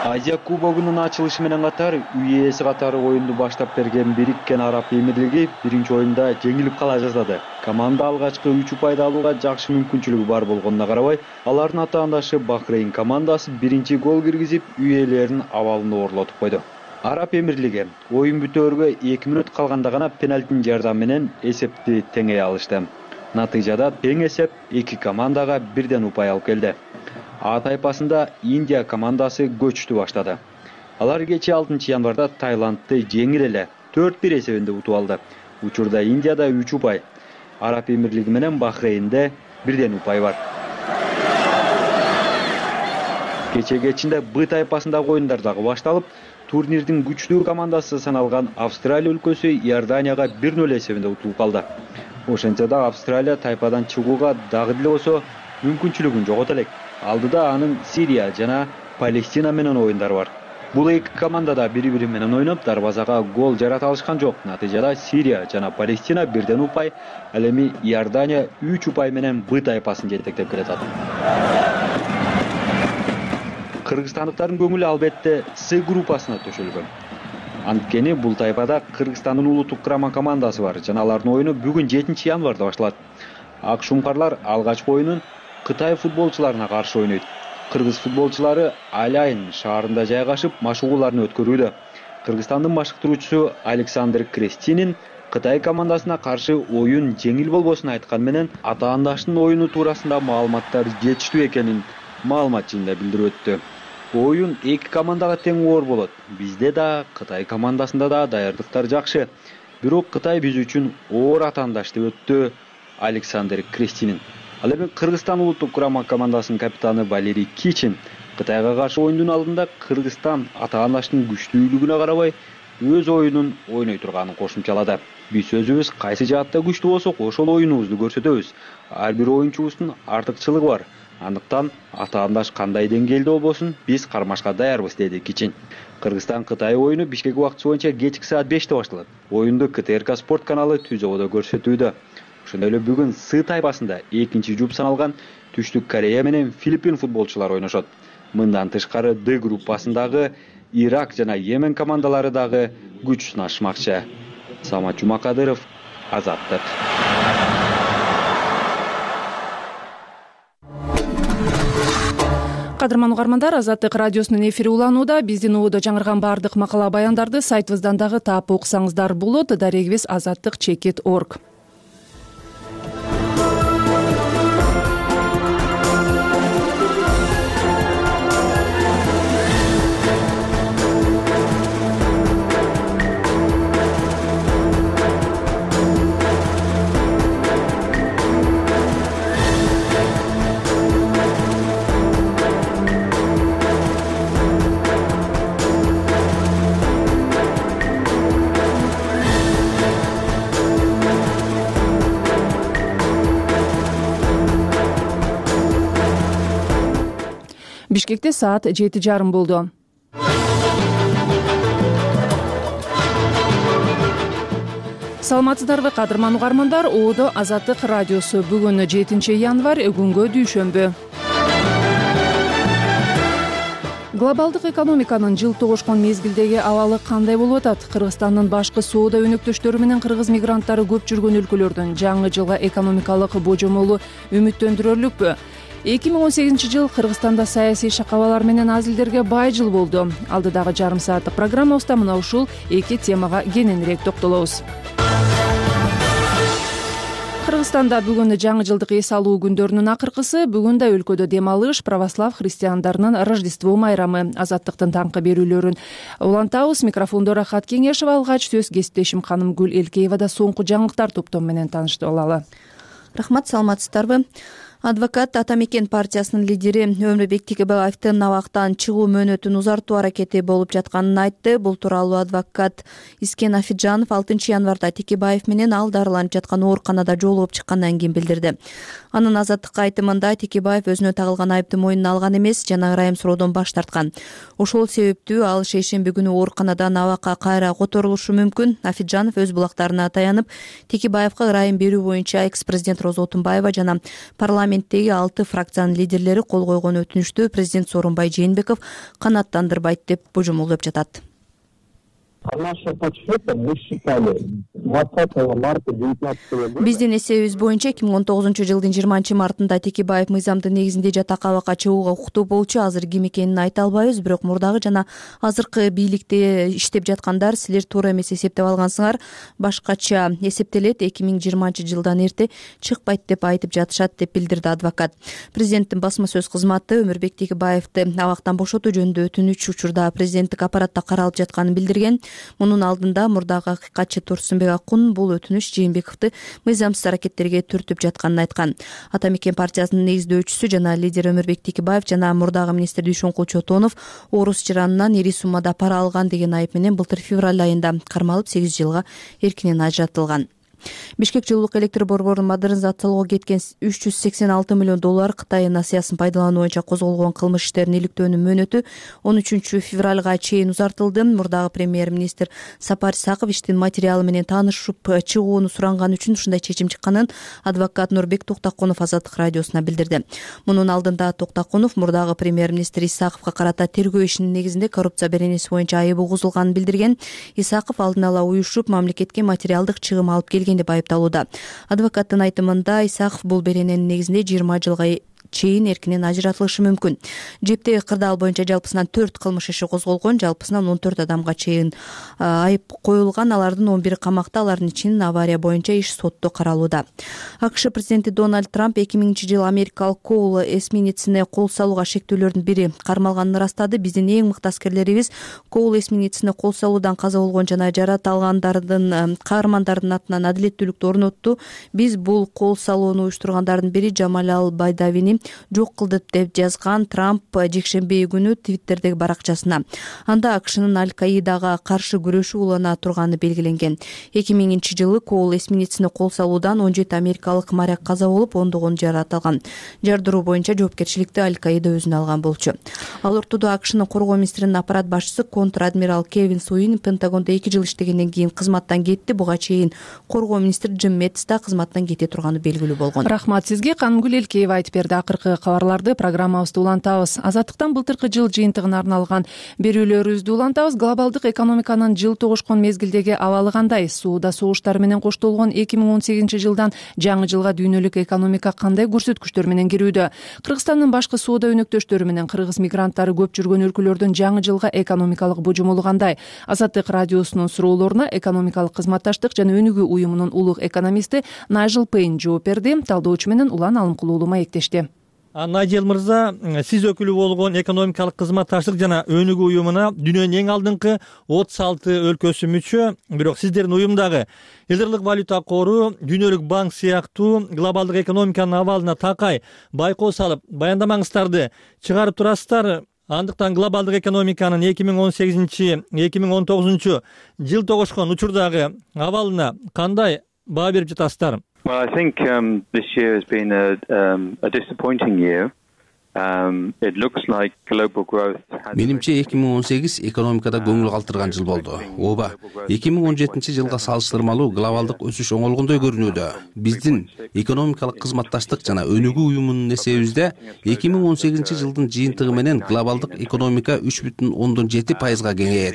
Азия кубогунун ачылышы менен катар үй ээси катары оюнду баштап берген Бириккен Араб Эмирлиги биринчи оюнда жеңилип кала жаздады. Команда алгачкы үч упайды алууга жакшы мүмкүнчүлүгү бар болгонуна карабай, алардын атаандашы Бахрейн командасы биринчи гол киргизип, үй ээлеринин абалын оорлотуп койду. Араб Эмирлиги оюн бүтөөргө эки мүнөт калганда гана пенальтинин жардамы менен эсепти теңей алышты. Натыйжада тең эсеп эки командага бирден упай алып келди. А тайпасында Индия командасы көчтү баштады. Алар кечээ алтынчы январда Таиландты жеңил эле төрт бир эсебинде утуп алды. Учурда Индияда үч упай, Араб Эмирлиги менен Бахрейнде бирден упай бар. Кечээ кечинде Б тайпасындагы оюндар дагы башталып, турнирдин күчтүү командасы саналган Австралия өлкөсү Иорданияга бир ноль эсебинде утулуп калды. Ошентсе да Австралия тайпадан чыгууга дагы деле болсо мүмкүнчүлүгүн жогото элек. Алдыда анын Сирия жана Палестина менен оюндары бар. Бул эки команда да бири-бири менен ойноп, дарбазага гол жарата алышкан жок. Натыйжада Сирия жана Палестина бирден упай, ал эми Иордания үч упай менен Б тайпасын жетектеп келатат. Кыргызстандыктардын көңүлү албетте С группасына төшөлгөн. Анткени бул тайпада Кыргызстандын улуттук курама командасы бар жана алардын оюну бүгүн жетинчи январда башталат. Ак шумкарлар алгачкы оюнун Кытай футболчуларына каршы ойнойт. Кыргыз футболчулары Аляйын шаарында жайгашып машыгууларын өткөрүүдө. Кыргызстандын машыктыруучусу Александр Крестинин Кытай командасына каршы оюн жеңил болбосун айткан менен атаандаштын оюну туурасында маалыматтар жетиштүү экенин маалымат жыйында билдирип өттү. Оюн эки командага тең оор болот. Бизде да, Кытай командасында да даярдыктар жакшы. Бирок Кытай биз үчүн оор атаандаш деп өттү Александр Крестинин. Ал эми Кыргызстан улуттук курама командасынын капитаны Валерий Кичин Кытайга каршы оюндун алдында Кыргызстан атаандаштын күчтүүлүгүнө карабай өз оюнун ойной турганын кошумчалады. Биз өзүбүз кайсы жаатта күчтүү болсок, ошол оюнубузду көрсөтөбүз. Ар бир оюнчубуздун артыкчылыгы бар. Андыктан атаандаш кандай деңгээлде болбосун, биз кармашка даярбыз, деди Кичин. Кыргызстан Кытай оюну Бишкек убактысы боюнча кечки саат беште башталат. Оюнду КТРК спорт каналы Түзөгөдө көрсөтүүдө. Ошондой эле бүгүн С тайпасында экинчи жуп саналган Түштүк Корея менен Филиппин футболчулары ойношот. Мындан тышкары Д группасындагы Ирак жана Йемен командалары дагы күч сынашмакчы. Самат Жумакадыров, Азаттык. Кадырман угармандар, Азаттык радиосунун эфири уланууда. Биздин убада жаңырган баардык макала баяндарды сайтыбыздан дагы таап окусаңыздар болот. Дарегибиз азаттык чекит точка орг. Бишкекте саат жети жарым болду. Саламатсыздарбы кадырман угармандар, Оодо Азаттык радиосу. Бүгүн жетинчи январь, күнгө дүйшөмбү. Глобалдык экономиканын жыл тогушкон мезгилдеги абалы кандай болуп атат? Кыргызстандын башкы соода өнөктөштөрү менен кыргыз мигранттары көп жүргөн өлкөлөрдүн жаңы жылга экономикалык божомолу үмүттөндүрөрлүкпү? эки миң он сегизинчи жыл Кыргызстанда саясий шакабалар менен азилдерге бай жыл болду. Алдыдагы жарым сааттык программабызда мына ушул эки темага кененирээк токтолобуз. Кыргызстанда бүгүн жаңы жылдык эс алуу күндөрүнүн акыркысы. Бүгүн да өлкөдө дем алыш, православ христиандарынын Рождество майрамы. Азаттыктын таңкы берүүлөрүн улантабыз. Микрофондо Рахат Кеңешева, алгач сөз кесиптешим ханым Гүл Элкеева да соңку жаңылыктар топтому менен таанышып алалы. Рахмат, саламатсыздарбы? Адвокат Ата Мекен партиясынын лидери Өмүрбек Текебаевдин абактан чыгуу мөөнөтүн узартуу аракети болуп жатканын айтты. Бул тууралуу адвокат Искен Афиджанов алтынчы январда Текебаев менен ал дарыланып жаткан ооруканада жолугуп чыккандан кийин билдирди. Анын Азаттыкка айтымында Текебаев өзүнө тагылган айыпты мойнуна алган эмес, жана ырайым суроодон баш тарткан. Ошол себептүү ал шейшемби күнү ооруканадан абакка кайра которулушу мүмкүн. Афиджанов өз булактарына таянып, Текебаевга ырайым берүү боюнча экс-президент Роза Отунбаева жана парламенттеги алты фракциянын лидерлери кол койгон өтүнүштү президент Сооронбай Жээнбеков канааттандырбайт деп божомолдоп жатат. Биздин эсебибиз боюнча эки миң он тогузунчу жылдын жыйырманчы мартында Текебаев мыйзамдын негизинде жатак абакка чыгууга укуктуу болчу. Азыр ким экенин айта албайбыз, бирок мурдагы жана азыркы бийликте иштеп жаткандар силер туура эмес эсептеп алгансыңар, башкача эсептелет, эки миң жыйырманчы жылдан эрте чыкпайт деп айтып жатышат деп билдирди адвокат. Президенттин басма сөз кызматы Өмүрбек Текебаевди абактан бошотуу жөнүндө өтүнүч учурда президенттик аппаратта каралып жатканын билдирген. Мунун алдында мурдагы акыйкатчы Турсунбек Акун бул өтүнүч Жээнбековду мыйзамсыз аракеттерге түртүп жатканын айткан. Ата Мекен партиясынын негиздөөчүсү жана лидер Өмүрбек Текебаев жана мурдагы министр Дүйшөнкул Чотонов орус жыранынан ири суммада пара алган деген айып менен былтыр февраль айында кармалып сегиз жылга эркинен ажыратылган. Бишкек жылуулук электр борборун модернизациялоого кеткен үч жүз сексен алты миллион доллар Кытай насыясын пайдалануу боюнча козголгон кылмыш иштерин иликтөөнүн мөөнөтү он үчүнчү февралга чейин узартылды. Мурдагы премьер-министр Сапар Исаков иштин материалы менен таанышып чыгууну суранган үчүн ушундай чечим чыкканын адвокат Нурбек Токтокунов Азаттык радиосуна билдирди. Мунун алдында Токтокунов мурдагы премьер-министр Исаковго карата тергөө ишинин негизинде коррупция беренеси боюнча айып угузулганын билдирген. Исаков алдын ала уюшуп мамлекетке материалдык чыгым алып келген деп айыпталууда. Адвокаттын айтымында Исаков бул берененин негизинде жыйырма жылга чейин эркинен ажыратылышы мүмкүн. Жептеги кырдаал боюнча жалпысынан төрт кылмыш иши козголгон, жалпысынан он төрт адамга чейин айып коюлган, алардын он бири камакта, алардын ичинен авария боюнча иш сотто каралууда. АКШ президенти Дональд Трамп эки миңинчи жылы америкалык Коул эсминецине кол салууга шектүүлөрдүн бири кармалганын ырастады. Биздин эң мыкты аскерлерибиз Коул эсминецине кол салуудан каза болгон жана жарат алгандардын каармандардын атынан адилеттүүлүктү орнотту. Биз бул кол салууну уюштургандардын бири Жамалал Байдавини жок кылдык деп жазган Трамп жекшемби күнү Твиттердеги баракчасына. Анда АКШнын Аль-Каидага каршы күрөшүү улана турганы белгиленген. эки миңинчи жылы Коул эсминецине кол салуудан он жети америкалык моряк каза болуп, ондогон жарат алган. Жардыруу боюнча жоопкерчиликти Аль-Каида өзүнө алган болчу. Ал ортодо АКШнын коргоо министринин аппарат башчысы контр-адмирал Кевин Суин Пентагондо эки жыл иштегенден кийин кызматтан кетти. Буга чейин коргоо министри Джим Мэттис да кызматтан кете турганы белгилүү болгон. Рахмат сизге. Канымгүл Элкеева айтып берди. Акыркы кабарларды программабызда улантабыз. Азаттыктан былтыркы жыл жыйынтыгына арналган берүүлөрүбүздү улантабыз. Глобалдык экономиканын жыл тогушкон мезгилдеги абалы кандай? Сууда согуштар менен коштолгон эки миң он сегизинчи жылдан жаңы жылга дүйнөлүк экономика кандай көрсөткүчтөр менен кирүүдө? Кыргызстандын башкы соода өнөктөштөрү менен кыргыз мигранттары көп жүргөн өлкөлөрдүн жаңы жылга экономикалык божомолу кандай? Азаттык радиосунун суроолоруна экономикалык кызматташтык жана өнүгүү уюмунун улуг экономисти Найджел Пейн жооп берди. Талдоочу менен Улан Алымкулуу уулу маектешти. Найджел мырза, сиз өкүлү болгон экономикалык кызматташтык жана өнүгүү уюмуна дүйнөнүн эң алдыңкы отуз алты өлкөсү мүчө, бирок сиздердин уюмдагы Элдерлик валюта кору, Дүйнөлүк банк сыяктуу глобалдык экономиканын абалына такай байкоо салып, баяндамаңыздарды чыгарып турасыздар. Андыктан глобалдык экономиканын эки миң он сегизинчи — эки миң он тогузунчу жыл тогушкон учурдагы абалына кандай баа берип жатасыздар? Well, I think um, this year has been a, um, a disappointing year. Менимче эки миң он сегиз экономикада көңүл калтырган жыл болду. Ооба, эки миң он жетинчи жылга салыштырмалуу глобалдык өсүш оңолгондой көрүнүүдө. Биздин экономикалык кызматташтык жана өнүгүү уюмунун эсебибизде эки миң он сегизинчи жылдын жыйынтыгы менен глобалдык экономика үч бүтүн ондон жети пайызга кеңейет.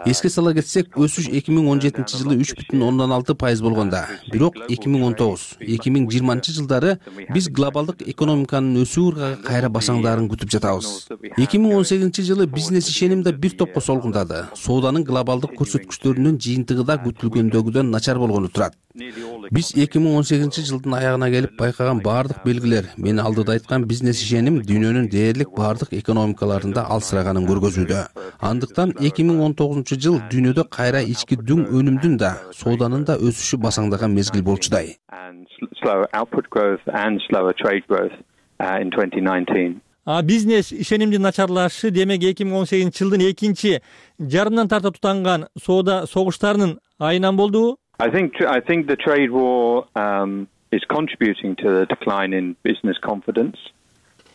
Эске сала кетсек, өсүш эки миң он жетинчи жылы үч бүтүн ондон алты пайыз болгондо, бирок эки миң он тогуз эки миң жыйырманчы жылдары биз глобалдык экономиканын өсүү ыргагы кайра басаңдарын күтүп жатабыз. эки миң он сегизинчи жылы бизнес ишеним да бир топко солгундады. Сооданын глобалдык көрсөткүчтөрүнүн жыйынтыгы да күтүлгөндөгүдөн начар болгону турат. Биз эки миң он сегизинчи жылдын аягына келип байкаган баардык белгилер, мен алдыда айткан бизнес ишеним дүйнөнүн дээрлик баардык экономикаларында алсыраганын көргөзүүдө. Андыктан эки миң он тогузунчу жыл дүйнөдө кайра ички дүң өнүмдүн да, сооданын да өсүшү басаңдаган мезгил болчудай. А бизнес ишенимдин начарлашы демек эки миң он сегизинчи жылдын экинчи жарымынан тарта тутанган соода согуштарынын айынан болдубу? I think I think the trade war um, is contributing to the decline in business confidence.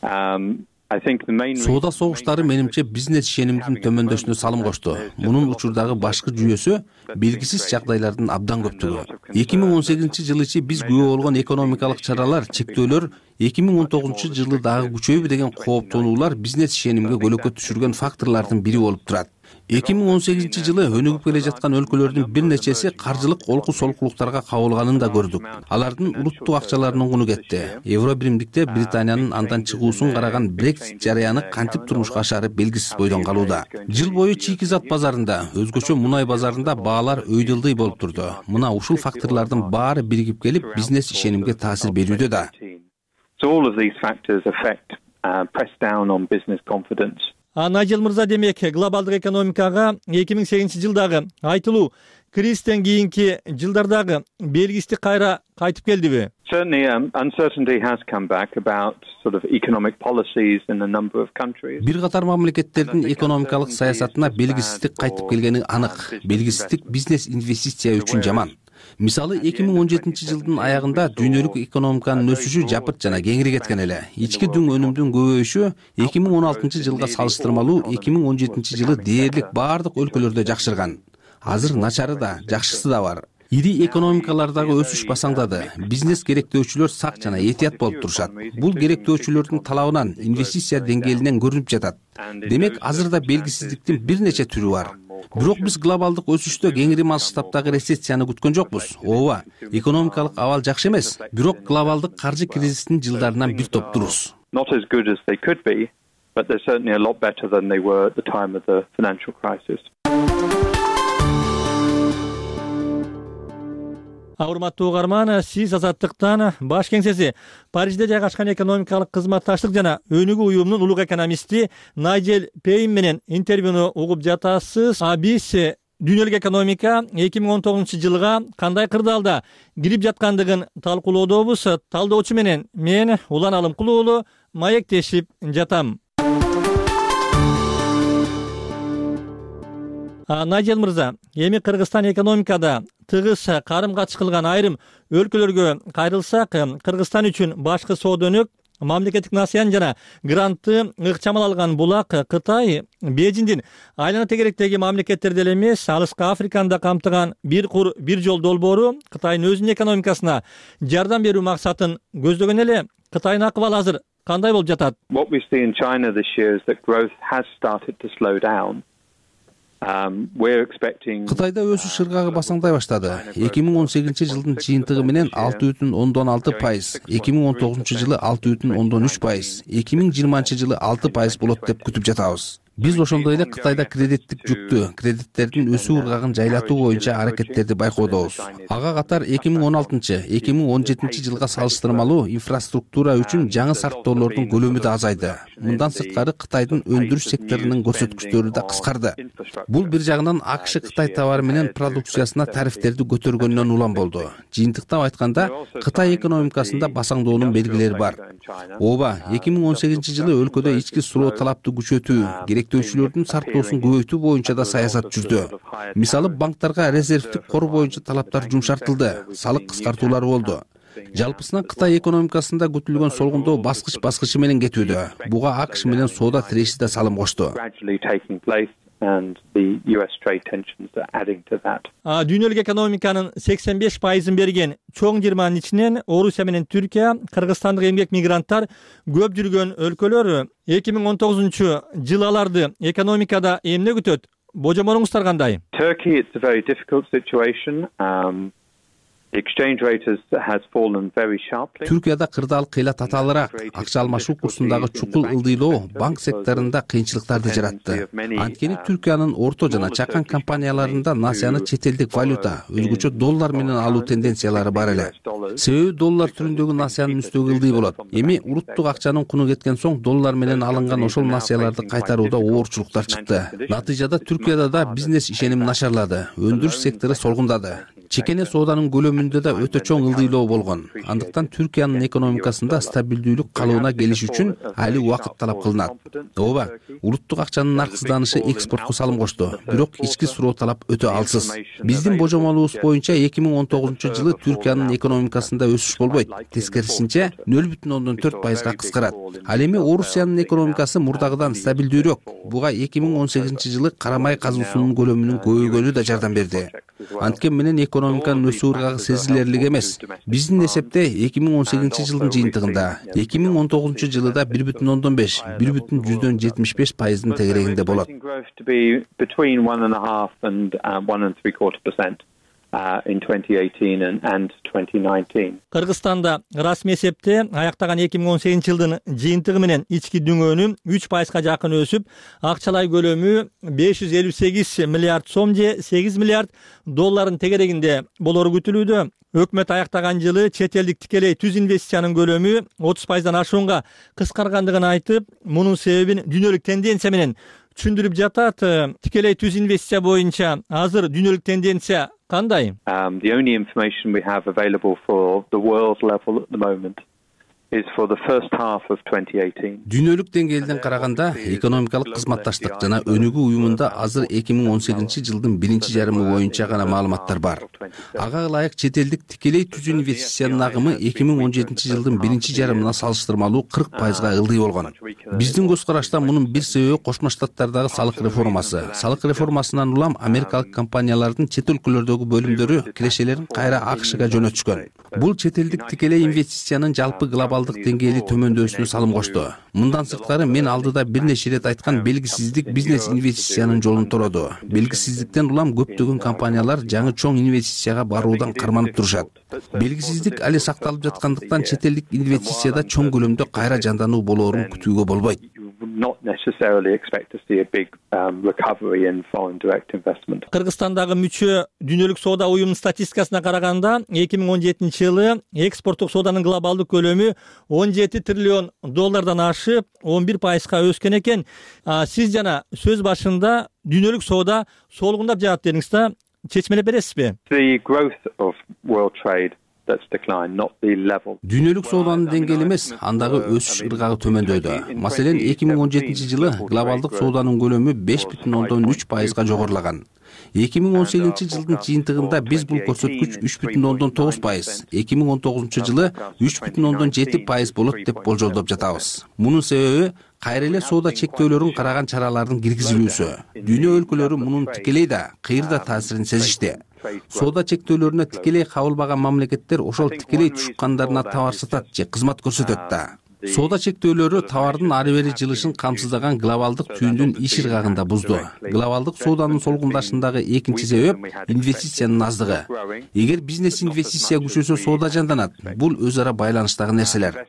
Um, Соода согуштары менимче бизнес ишенимдин төмөндөшүнө салым кошту. Мунун учурдагы башкы жүйөсү белгисиз жагдайлардын абдан көптүгү. эки миң он сегизинчи жыл ичи биз күбө болгон экономикалык чаралар, чектөөлөр эки миң он тогузунчу жылы дагы күчөйбү деген кооптонуулар бизнес ишенимге көлөкө түшүргөн факторлордун бири болуп турат. эки миң он сегизинчи жылы өнүгүп келе жаткан өлкөлөрдүн бир нечеси каржылык олку солкулуктарга кабылганын да көрдүк. Алардын улуттук акчаларынын куну кетти. Евро биримдикте Британиянын андан чыгуусун караган Brexit жарыяны кантип турмушка ашары белгисиз бойдон калууда. Жыл бою чийки зат базарында, өзгөчө мунай базарында баалар өйдөлдөй болуп турду. Мына ушул факторлордун баары биригип келип бизнес ишенимге таасир берүүдө да. So all of these factors affect uh, press down on business confidence. А Найджел мырза, демек глобалдык экономикага эки миң сегизинчи жылдагы айтылуу кризистен кийинки жылдардагы белгисиздик кайра кайтып келдиби? Certainly, um, uncertainty has come back about sort of economic policies in a number of countries. Бир катар мамлекеттердин экономикалык саясатына белгисиздик кайтып келгени анык. Белгисиздик бизнес инвестиция үчүн жаман. Мисалы эки миң он жетинчи жылдын аягында дүйнөлүк экономиканын өсүшү жапырт жана кеңири кеткен эле. Ички дүң өнүмдүн көбөйүшү эки миң он алтынчы жылга салыштырмалуу эки миң он жетинчи жылы дээрлик баардык өлкөлөрдө жакшырган. Азыр начары да, жакшысы да бар. Ири экономикалардагы өсүш басаңдады. Бизнес керектөөчүлөр сак жана этият болуп турушат. Бул керектөөчүлөрдүн талабынан, инвестиция деңгээлинен көрүнүп жатат. Демек, азырда белгисиздиктин бир нече түрү бар. Бирок биз глобалдык өсүштө кеңири масштабтагы рецессияны күткөн жокпуз. Ооба, экономикалык абал жакшы эмес, бирок глобалдык каржы кризисинин жылдарынан бир топтурбуз. Not as good as they could be, but they're certainly a lot better than they were at the time of the financial crisis. Урматтуу угарман, сиз Азаттыктан баш кеңсеси Парижде жайгашкан экономикалык кызматташтык жана өнүгүү уюмунун улук экономисти Найджел Пейн менен интервьюну угуп жатасыз. А биз дүйнөлүк экономика эки миң он тогузунчу жылга кандай кырдаалда кирип жаткандыгын талкуулоодобуз. Талдоочу менен мен Улан Алымкул уулу маектешип жатам. Найджел мырза, эми Кыргызстан экономикада тыгыз карым катыш кылган айрым өлкөлөргө кайрылсак, Кыргызстан үчүн башкы соода өнөк, мамлекеттик насыян жана грантты ыкчамал алган булак Кытай, Бейжиңдин айлана тегеректеги мамлекеттер деле эмес, алыскы Африканы да камтыган бир кур бир жол долбоору Кытайдын өзүнүн экономикасына жардам берүү максатын көздөгөн эле. Кытайдын акыбалы азыр кандай болуп жатат? What we see in China this year is that growth has started to slow down. Кытайда өсүш ыргагы басаңдай баштады. эки миң он сегизинчи жылдын жыйынтыгы менен алты бүтүн ондон алты пайыз, эки миң он тогузунчу жылы алты бүтүн ондон үч пайыз, эки миң жыйырманчы жылы алты пайыз болот деп күтүп жатабыз. Биз ошондой эле Кытайда кредиттик жүктү, кредиттердин өсүү ыргагын жайлатуу боюнча аракеттерди байкоодобуз. Ага катар эки миң он алтынчы — эки миң он жетинчи жылга салыштырмалуу инфраструктура үчүн жаңы сарптоолордун көлөмү да азайды. Мындан сырткары Кытайдын өндүрүш секторунун көрсөткүчтөрү да кыскарды. Бул бир жагынан АКШ Кытай товары менен продукциясына тарифтерди көтөргөнүнөн улам болду. Жыйынтыктап айтканда, Кытай экономикасында басаңдоонун белгилери бар. Ооба, эки миң он сегизинчи жылы өлкөдө ички суроо талапты күчөтүү, керектөөчүлөрдүн сарптоосун көбөйтүү боюнча да саясат жүрдү. Мисалы, банктарга резервдик кор боюнча талаптар жумшартылды, салык кыскартуулары болду. Жалпысынан Кытай экономикасында күтүлгөн солгундоо баскыч баскычы менен кетүүдө. Буга АКШ менен соода тиреши да салым кошту. Дүйнөлүк экономиканын сексен беш пайызын берген чоң жыйырманын ичинен Орусия менен Түркия, кыргызстандык эмгек мигранттар көп жүргөн өлкөлөр. эки миң он тогузунчу жыл аларды экономикада эмне күтөт? Божомолуңуздар кандай? Turkey, it's a very difficult situation. Um, exchange rate has fallen very sharply. Түркияда кырдаал кыйла татаалыраак, акча алмашуу курсундагы чукул ылдыйлоо банк секторунда кыйынчылыктарды жаратты. Анткени Түркиянын орто жана чакан компанияларында насыяны чет элдик валюта, өзгөчө доллар менен алуу тенденциялары бар эле. Себеби доллар түрүндөгү насыянын үстөгү ылдый болот. Эми уруттук акчанын куну кеткен соң доллар менен алынган ошол насыяларды кайтарууда оорчулуктар чыкты. Натыйжада Түркияда да бизнес ишеними начарлады, өндүрүш сектору солгундады. Чекене сооданын көлөмүндө да өтө чоң ылдыйлоо болгон. Андыктан Түркиянын экономикасында стабилдүүлүк калыбына келиш үчүн али убакыт талап кылынат. Ооба, улуттук акчанын нарксызданышы экспортко салым кошту, бирок ички суроо талап өтө алсыз. Биздин божомолубуз боюнча эки миң он тогузунчу жылы Түркиянын экономикасында өсүш болбойт. Тескерисинче нөл бүтүн ондон төрт пайызга кыскарат. Ал эми Орусиянын экономикасы мурдагыдан стабилдүүрөөк. Буга эки миң он сегизинчи жылы карамай казуусунун көлөмүнүн көбөйгөнү да жардам берди. Анткен менен экономиканын өсүү ыргагы сезилерлик эмес. Биздин эсепте эки миң он сегизинчи жылдын жыйынтыгында эки миң он тогузунчу жылыда бир бүтүн ондон беш, бир бүтүн жүздөн жетимиш беш пайыздын тегерегинде болот. Кыргызстанда расмий эсепте аяктаган эки миң он сегизинчи жылдын жыйынтыгы менен ички дүңөнү үч пайызга жакын өсүп, акчалай көлөмү беш жүз элүү сегиз миллиард сом же сегиз миллиард долларын тегерегинде болору күтүлүүдө. Өкмөт аяктаган жылы чет элдик тикелей түз инвестициянын көлөмү отуз пайыздан ашуунга кыскаргандыгын айтып, мунун себебин дүйнөлүк тенденция менен түшүндүрүп жатат. Тикелей түз инвестиция боюнча азыр дүйнөлүк тенденция кандай? Um, the only information we have available for the world level at the moment is for the first half of twenty eighteen. Дүйнөлүк деңгээлден караганда экономикалык кызматташтык жана өнүгүү уюмунда азыр эки миң он сегизинчи жылдын биринчи жарымы боюнча гана маалыматтар бар. Ага ылайык чет элдик тикелей түз инвестициянын агымы эки миң он жетинчи жылдын биринчи жарымына салыштырмалуу кырк пайызга ылдый болгон. Биздин көз карашта мунун бир себеби Кошмо Штаттардагы салык реформасы. Салык реформасынан улам америкалык компаниялардын чет өлкөлөрдөгү бөлүмдөрү кирешелерин кайра АКШга жөнөтүшкөн. Бул чет элдик тикелей инвестициянын жалпы глобалдык деңгээли төмөндөшүнө салым кошту. Мындан сырткары мен алдыда бир нече ирет айткан белгисиздик бизнес инвестициянын жолун тороду. Белгисиздиктен улам көптөгөн компаниялар жаңы чоң инвестицияга баруудан карманып турушат. Белгисиздик али сакталып жаткандыктан чет элдик инвестицияда чоң көлөмдө кайра жандануу болоорун күтүүгө болбойт. Кыргызстандагы мүчө дүйнөлүк соода уюмунун статистикасына караганда эки миң он жетинчи жылы экспорттук сооданын глобалдык көлөмү он жети триллион доллардан ашып он бир пайызга өскөн экен. Сиз жана сөз башында дүйнөлүк соода солгундап жатат дедиңиз да, чечмелеп бересизби? Дүйнөлүк сооданын деңгээли эмес, андагы өсүш ыргагы төмөндөдү. Маселен, эки миң он жетинчи жылы глобалдык сооданын көлөмү беш бүтүн ондон үч пайызга жогорулаган. эки миң он сегизинчи жылдын жыйынтыгында биз бул көрсөткүч үч бүтүн ондон тогуз пайыз, эки миң он тогузунчу жылы үч бүтүн ондон жети пайыз болот деп болжолдоп жатабыз. Мунун себеби кайра эле соода чектөөлөрүн караган чаралардын киргизилүүсү. Дүйнө өлкөлөрү мунун тикелей да, кыйыр да таасирин сезишти. Соода чектөөлөрүнө тикелей кабылбаган мамлекеттер ошол тикелей тушкандарына товар сатат же кызмат көрсөтөт да. Соода чектөөлөрү товардын ары бери жылышын камсыздаган глобалдык түйүндүн иш ыргагында бузду. Глобалдык сооданын солгундашындагы экинчи себеп инвестициянын аздыгы. Эгер бизнес инвестиция күчөсө, соода жанданат. Бул өз ара байланыштагы нерселер.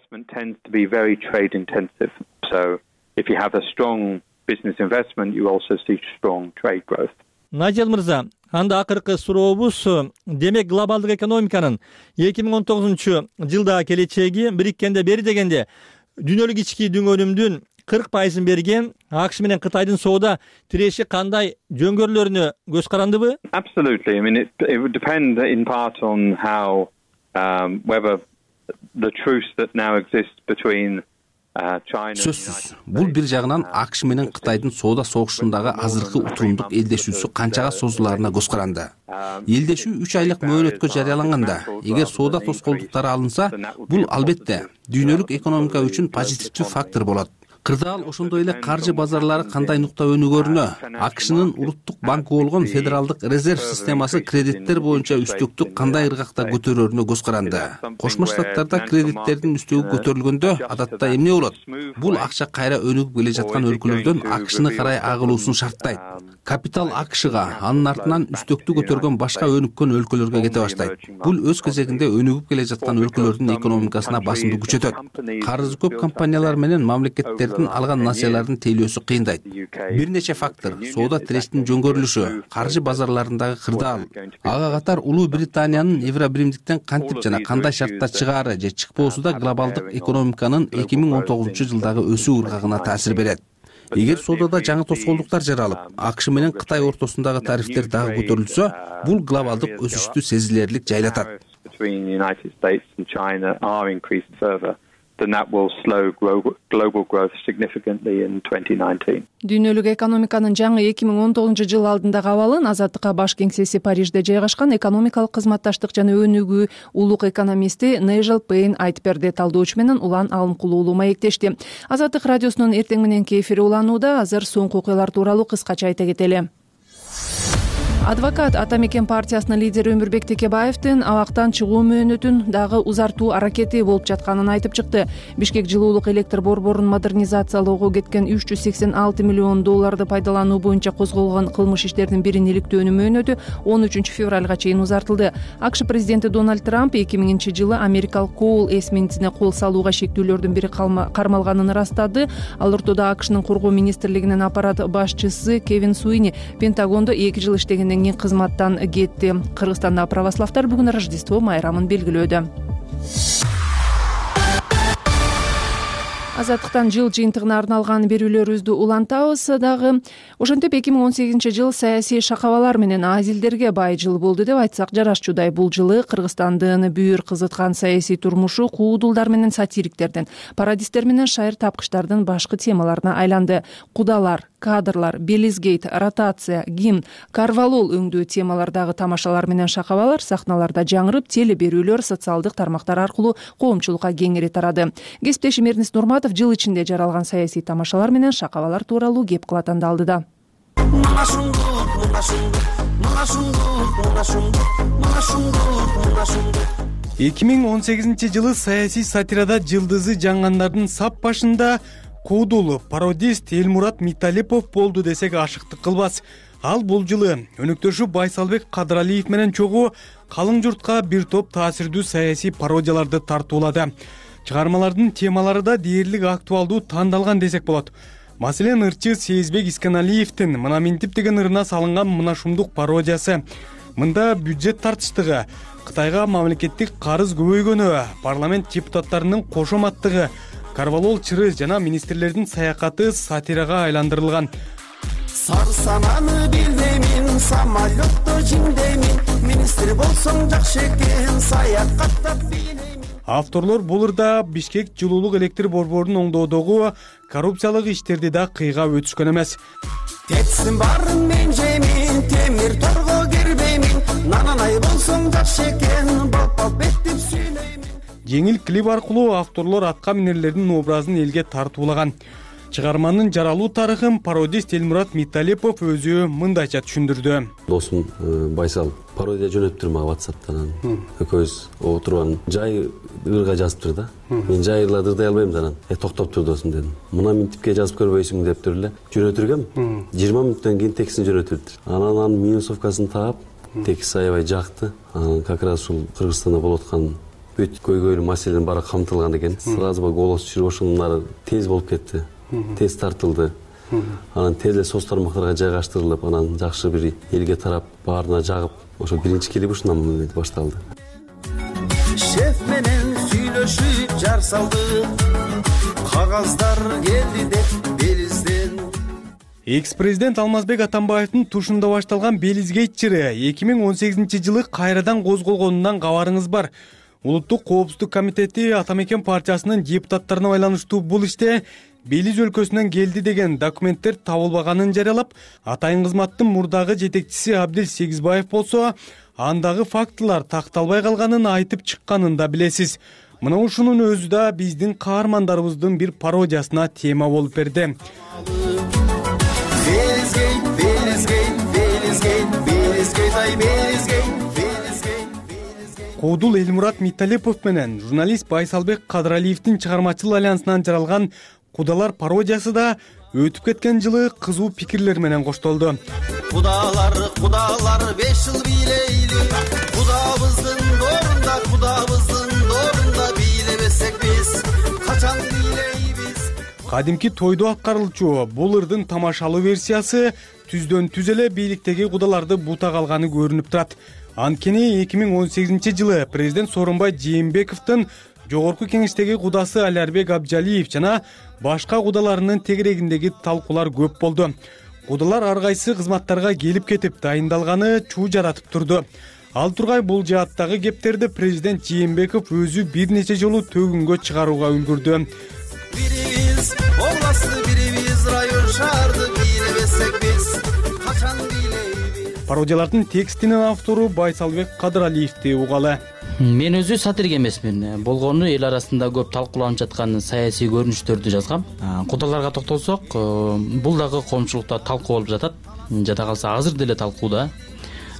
Найжел мырза, анда акыркы сурообуз, демек глобалдык экономиканын эки миң он тогузунчу жылдагы келечеги бириккенде бери дегенде дүйнөлүк ички дүңөнүмдүн кырк пайызын берген АКШ менен Кытайдын соода тиреши кандай жөнгөрүүлөрүнө көз карандыбы? Absolutely. I mean, it, it would depend in part on how um, whether the truce that now exists between сөзсүз бул бир жагынан АКШ менен Кытайдын соода согушундагы азыркы утурумдук элдешүүсү канчага созулаарына көз каранды. Элдешүү үч айлык мөөнөткө жарыяланганда, эгер соода тоскоолдуктары алынса, бул албетте дүйнөлүк экономика үчүн позитивдүү фактор болот. Кырдаал ошондой эле каржы базарлары кандай нукта өнүгөрүнө, АКШнын улуттук банкы болгон Федералдык резерв системасы кредиттер боюнча үстөктү кандай ыргакта көтөрөрүнө көз каранды. Кошмо Штаттарда кредиттердин үстөгү көтөрүлгөндө адатта эмне болот? Бул акча кайра өнүгүп келе жаткан өлкөлөрдөн АКШны карай агылуусун шарттайт. Капитал АКШга, анын артынан үстөктү көтөргөн башка өнүккөн өлкөлөргө кете баштайт. Бул өз кезегинде өнүгүп келе жаткан өлкөлөрдүн экономикасына басымды күчөтөт. Карызы көп компаниялар менен мамлекеттердин алган насыялардын тейлөөсү кыйындайт. Бир нече фактор: соода тирештин жөнгөрүлүшү, каржы базарларындагы кырдаал, ага катар Улуу Британиянын Евробиримдиктен кантип жана кандай шартта чыгаары же чыкпоосу да глобалдык экономиканын эки миң он тогузунчу жылдагы өсүү ыргагына таасир берет. Эгер соодада жаңы тоскоолдуктар жаралып, АКШ менен Кытай ортосундагы тарифтер дагы көтөрүлсө, бул глобалдык өсүштү сезилерлик жайлатат. Then that will slow global growth significantly in twenty nineteen. Дүйнөлүк экономиканын жаңы эки миң он тогузунчу жыл алдындагы абалын Азаттыкка баш кеңсеси Парижде жайгашкан экономикалык кызматташтык жана өнүгүү улук экономисти Нейжел Пейн айтып берди. Талдоочу менен Улан Алымкулуулу маектешти. Азаттык радиосунун эртең мененки эфири уланууда. Азыр соңку окуялар тууралуу кыскача айта кетели. Адвокат Ата Мекен партиясынын лидери Өмүрбек Текебаевдин абактан чыгуу мөөнөтүн дагы узартуу аракети болуп жатканын айтып чыкты. Бишкек жылуулук электр борборун модернизациялоого кеткен үч жүз сексен алты миллион долларды пайдалануу боюнча козголгон кылмыш иштердин бирин иликтөөнүн мөөнөтү он үчүнчү февралга чейин узартылды. АКШ президенти Дональд Трамп эки миңинчи жылы америкалык Коул эсминцине кол салууга шектүүлөрдүн бири кармалганын ырастады. Ал ортодо АКШнын коргоо министрлигинин аппарат башчысы Кевин Суини Пентагондо эки жыл иштеген кийин кызматтан кетти. Кыргызстанда православдар бүгүн Рождество майрамын белгилөөдө. Азаттыктан жыл жыйынтыгына арналган берүүлөрүбүздү улантабыз дагы. Ошентип эки миң он сегизинчи жыл саясий шакабалар менен азилдерге бай жыл болду деп айтсак жарашчудай. Бул жылы Кыргызстандын бүйүр кызыткан саясий турмушу куудулдар менен сатириктердин, пародисттер менен шайыр тапкычтардын башкы темаларына айланды. Кудалар, кадрлар, Белизгейт, ротация, гимн, карвалол өңдүү темалардагы тамашалар менен шакабалар сахналарда жаңырып, теле берүүлөр социалдык тармактар аркылуу коомчулукка кеңири тарады. Кесиптешим Эрнис Нурматов жыл ичинде жаралган саясий тамашалар менен шакабалар тууралуу кеп кылат анда алдыда. эки миң он сегизинчи жылы саясий сатирада жылдызы жаңгандардын сап башында куудул пародист Элмурат Миталипов болду десек ашыктык кылбас. Ал бул жылы өнөктөшү Байсалбек Кадыралиев менен чогуу калың журтка бир топ таасирдүү саясий пародияларды тартуулады. Чыгармалардын темалары да дээрлик актуалдуу тандалган десек болот. Маселен, ырчы Сезбек Исканалиевдин Мына Минтип деген ырына салынган мына шумдук пародиясы. Мында бюджет тартыштыгы, Кытайга мамлекеттик карыз көбөйгөнү, парламент депутаттарынын кошоматтыгы, карвалол чыры жана министрлердин саякаты сатирага айландырылган. Сары сананы билдемин, самолетто жиңдемин, министр болсоң жакшы экен, саякаттап билемин. Авторлор бул ырда Бишкек жылуулук электр борборунун оңдоодогу коррупциялык иштерди да кыйга өтүшкөн эмес. Кетсин барын мен жемин, темир торго кирбеймин, нананай болсоң жакшы экен, балпал беттип сүйлөймүн. Жеңил клип аркылуу авторлор атка минерлердин образын элге тартуулаган. Чыгарманын жаралуу тарыхын пародист Элмурат Миталипов өзү мындайча түшүндүрдү. Досум Байсал пародия жөнөттүр мага WhatsApp'тан. Экөөбүз отурган жай ырга жазыптыр да. Мен жай ырла ырдай албайм анан. Э токтоп тур досум дедим. Мына Минтипке жазып көрбөйсүң дептир эле. Жөнөтүргөм. жыйырма мүнөттөн кийин текстин жөнөтүлдү. Анан анын минусовкасын таап, текст аябай жакты. Анан как раз ушул Кыргызстанда болуп аткан бүт көйгөйлүү маселенин баары камтылган экен. Сразу голос чыгып ошонун тез болуп кетти. Тез тартылды. Анан тез эле соц тармактарга жайгаштырылып, анан жакшы бир элге тарап, баарына жагып, ошо биринчи клип ушундан башталды. Шеф менен сүйлөшүп жар салды, кагаздар келди деп Белизден. Экс-президент Алмазбек Атамбаевдин тушунда башталган Белизгейт чыры эки миң он сегизинчи жылы кайрадан козголгонунан кабарыңыз бар. Улуттук коопсуздук комитети Ата Мекен партиясынын депутаттарына байланыштуу бул иште Белиз өлкөсүнөн келди деген документтер табылбаганын жарыялап, атайын кызматтын мурдагы жетекчиси Абдил Сегизбаев болсо, андагы фактылар такталбай калганын айтып чыкканын да билесиз. Мына ушунун өзү да биздин каармандарыбыздын бир пародиясына тема болуп берди. Куудул Элмурат Миталипов менен журналист Байсалбек Кадыралиевдин чыгармачыл альянсынан жаралган Кудалар пародиясы да өтүп кеткен жылы кызуу пикирлер менен коштолду. Кудалар, кудалар беш жыл бийлейли, кудабыздын дорунда, кудабыздын дорунда бийлебесек биз, качан бийлейбиз. Кадимки тойдо аткарылчу бул ырдын тамашалуу версиясы түздөн түз эле бийликтеги кудаларды бута калганы көрүнүп турат. Анткени эки миң он сегизинчи жылы президент Сооронбай Жээнбековдун жогорку кеңештеги кудасы Алярбек Абджалиев жана башка кудаларынын тегерегиндеги талкуулар көп болду. Кудалар ар кайсы кызматтарга келип кетип дайындалганы чуу жаратып турду. Ал тургай бул жааттагы кептерди президент Жээнбеков өзү бир нече жолу төгүнгө чыгарууга үлгүрдү. Бирибиз областты, бирибиз район шаарды бийлебесек биз, качан бийлейбиз. Пародиялардын текстинин автору Байсалбек Кадыралиевди угалы. Мен өзү сатирик эмесмин. Болгону эл арасында көп талкууланып жаткан саясий көрүнүштөрдү жазгам. Кудаларга токтолсок, бул дагы коомчулукта талкуу болуп жатат. Жада калса азыр деле талкууда.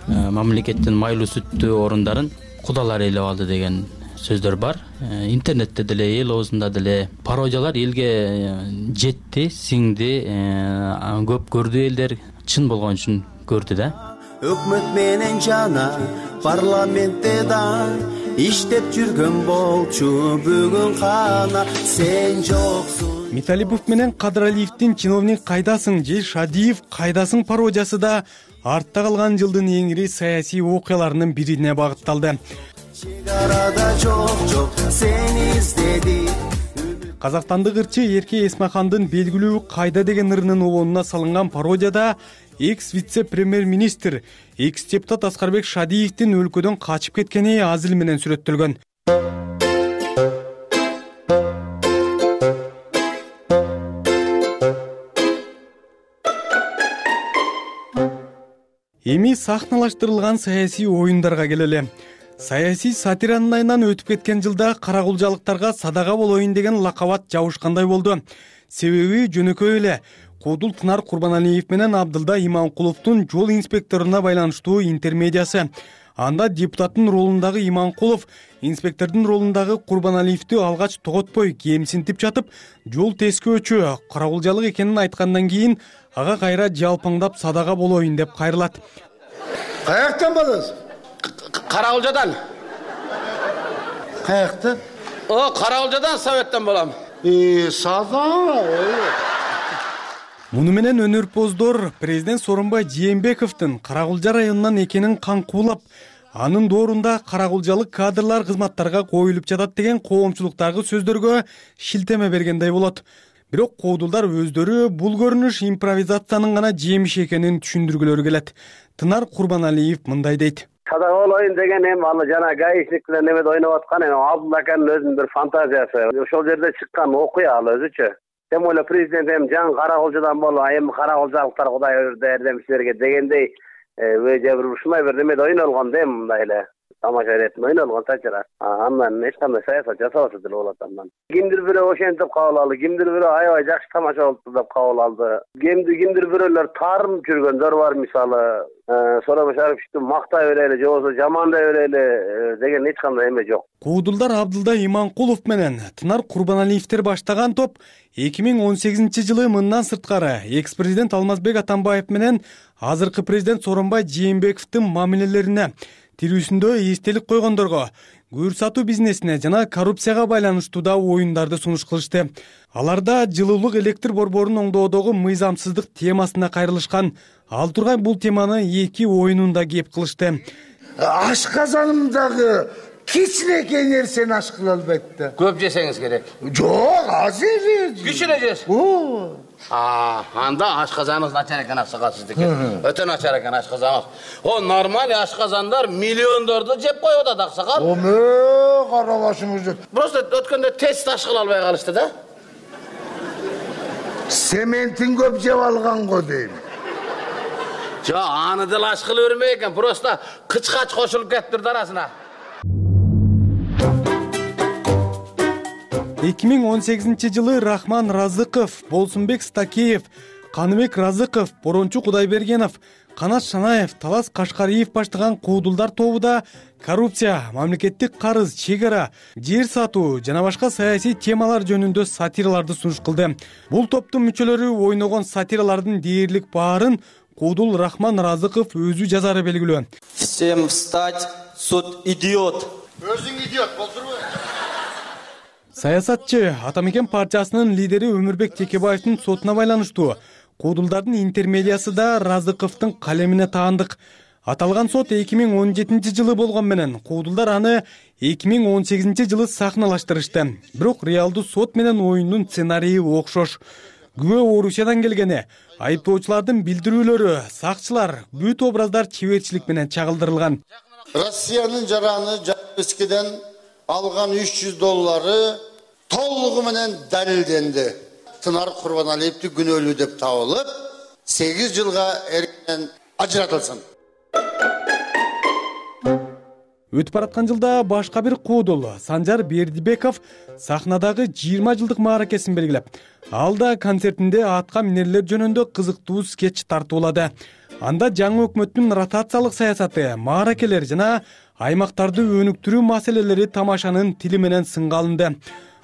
Мамлекеттин майлуу сүттүү орундарын кудалар ээлеп алды деген сөздөр бар. Интернетте деле, эл оозунда деле пародиялар элге жетти, сиңди, көп көрдү элдер чын болгон үчүн көрдү да. Өкмөт менен жана парламентте да иштеп жүргөн болчу бүгүн кана сен жоксуң. Миталипов менен Кадыралиевдин чиновник кайдасың же Шадиев кайдасың пародиясы да артта калган жылдын эң ири саясий окуяларынын бирине багытталды. Чегарада жок жок сен издеди. Казакстандык ырчы Эрке Эсмахандын белгилүү кайда деген ырынын обонуна салынган пародияда экс вице-премьер-министр, экс депутат Аскарбек Шадиевдин өлкөдөн качып кеткени азыл менен сүрөттөлгөн. Эми сахналаштырылган саясий оюндарга келели. Саясий сатиранын айынан өтүп кеткен жылда каракулжалыктарга садага болоюн деген лакабат жабышкандай болду. Себеби жөнөкөй эле Куудул Тынар Курбаналиев менен Абдылда Иманкуловдун жол инспекторуна байланыштуу интермедиясы. Анда депутаттын ролундагы Иманкулов инспектордун ролундагы Курбаналиевди алгач тоготпой кемсинтип жатып, жол тескөөчү, каракулжалык экенин айткандан кийин ага кайра жалпаңдап садага болоюн деп кайрылат. Каяктан болосуз? Каракулжадан. Каяктан? О, Каракулжадан, Советтен болом. Э, сада. Муну менен өнөрпоздор президент Сооронбай Жээнбековдун Каракулжа районунан экенин каңкуулап, анын доорунда каракулжалык кадрлар кызматтарга коюлуп жатат деген коомчулуктагы сөздөргө шилтеме бергендей болот. Бирок куудулдар өздөрү бул көрүнүш импровизациянын гана жемиши экенин түшүндүргүлөрү келет. Тынар Курбаналиев мындай дейт. Садага болоюн деген эми ал жана гаишник менен немеде ойноп аткан эми Абдулла аканын өзүнүн бир фантазиясы. Ошол жерде чыккан окуя ал өзүчө. Эми эле президент эми жаңы Каракулжадан болуп, эми каракулжалыктар Кудай өрдө эрдемчилерге дегендей өйдө бир ушундай бир немеде ойнолгон да эми мындай эле тамаша иретин ойнолгон сачыра. Андан эч кандай саясат жасабаса деле болот андан. Кимдир бирөө ошентип кабыл алды, кимдир бирөө аябай жакшы тамаша болупту деп кабыл алды. Кимди кимдир бирөөлөр таарынып жүргөндөр бар, мисалы Сооронбай Шариповичти мактай берели же болбосо жамандай берели деген эч кандай эме жок. Куудулдар Абдылда Иманкулов менен Тынар Курбаналиевдер баштаган топ эки миң он сегизинчи жылы мындан сырткары экс-президент Алмазбек Атамбаев менен азыркы президент Сооронбай Жээнбековдун мамилелерине, тирүүсүндө эстелик койгондорго, көр сатуу бизнесине жана коррупцияга байланыштуу да оюндарды сунуш кылышты. Аларда жылуулук электр борборунун оңдоодогу мыйзамсыздык темасына кайрылышкан. Ал тургай бул теманы эки оюнунда кеп кылышты. Ашказанымдагы кичинекей нерсени аш кыла албайт да. Көп жесеңиз керек. Жок, аз жейбиз. Кичине жес. Анда ашказаныңыз начар экен аксакал сиздики. Өтө начар экен ашказаныңыз. О, нормаль ашказандар миллиондорду жеп коюп атат аксакал. Оме, кара башыңыз жеп. Просто өткөндө тест ташкыла албай калышты да. Сементин көп жеп алган го дейм. Жо, аны деле ашкыла бермей экен, просто кычкач кошулуп кетиптир арасына. эки миң он сегизинчи жылы Рахман Разыков, Болсунбек Стакеев, Каныбек Разыков, Борончу Кудайбергенов, Канат Шанаев, Талас Кашкариев баштаган куудулдар тобуда коррупция, мамлекеттик карыз, чек ара, жер сатуу жана башка саясий темалар жөнүндө сатираларды сунуш кылды. Бул топтун мүчөлөрү ойногон сатиралардын дээрлик баарын куудул Рахман Разыков өзү жазары белгилүү. Всем встать, суд идиот. Өзүң идиот болдурбу? Саясатчы Атамекен партиясынын лидери Өмүрбек Текебаевдин сотуна байланыштуу куудулдардын интермедиясы да Разыковдун калемине таандык. Аталган сот эки миң он жетинчи жылы болгон менен куудулдар аны эки миң он сегизинчи жылы сахналаштырышты. Бирок реалдуу сот менен оюндун сценарийи окшош. Күбө Орусиядан келгени, айыптоочулардын билдирүүлөрү, сакчылар, бүт образдар чеберчилик менен чагылдырылган. Россиянын жараны Жапискеден алган үч жүз доллары толугу менен далилденди. Тынар Курбаналиевди күнөөлүү деп табылып, сегиз жылга эркинен ажыратылсын. Өтүп бараткан жылда башка бир куудул Санжар Бердибеков сахнадагы жыйырма жылдык мааракесин белгилеп, ал да концертинде атка минерлер жөнүндө кызыктуу скетч тартуулады. Анда жаңы өкмөттүн ротациялык саясаты, мааракелер жана аймактарды өнүктүрүү маселелери тамашанын тили менен сынга алынды.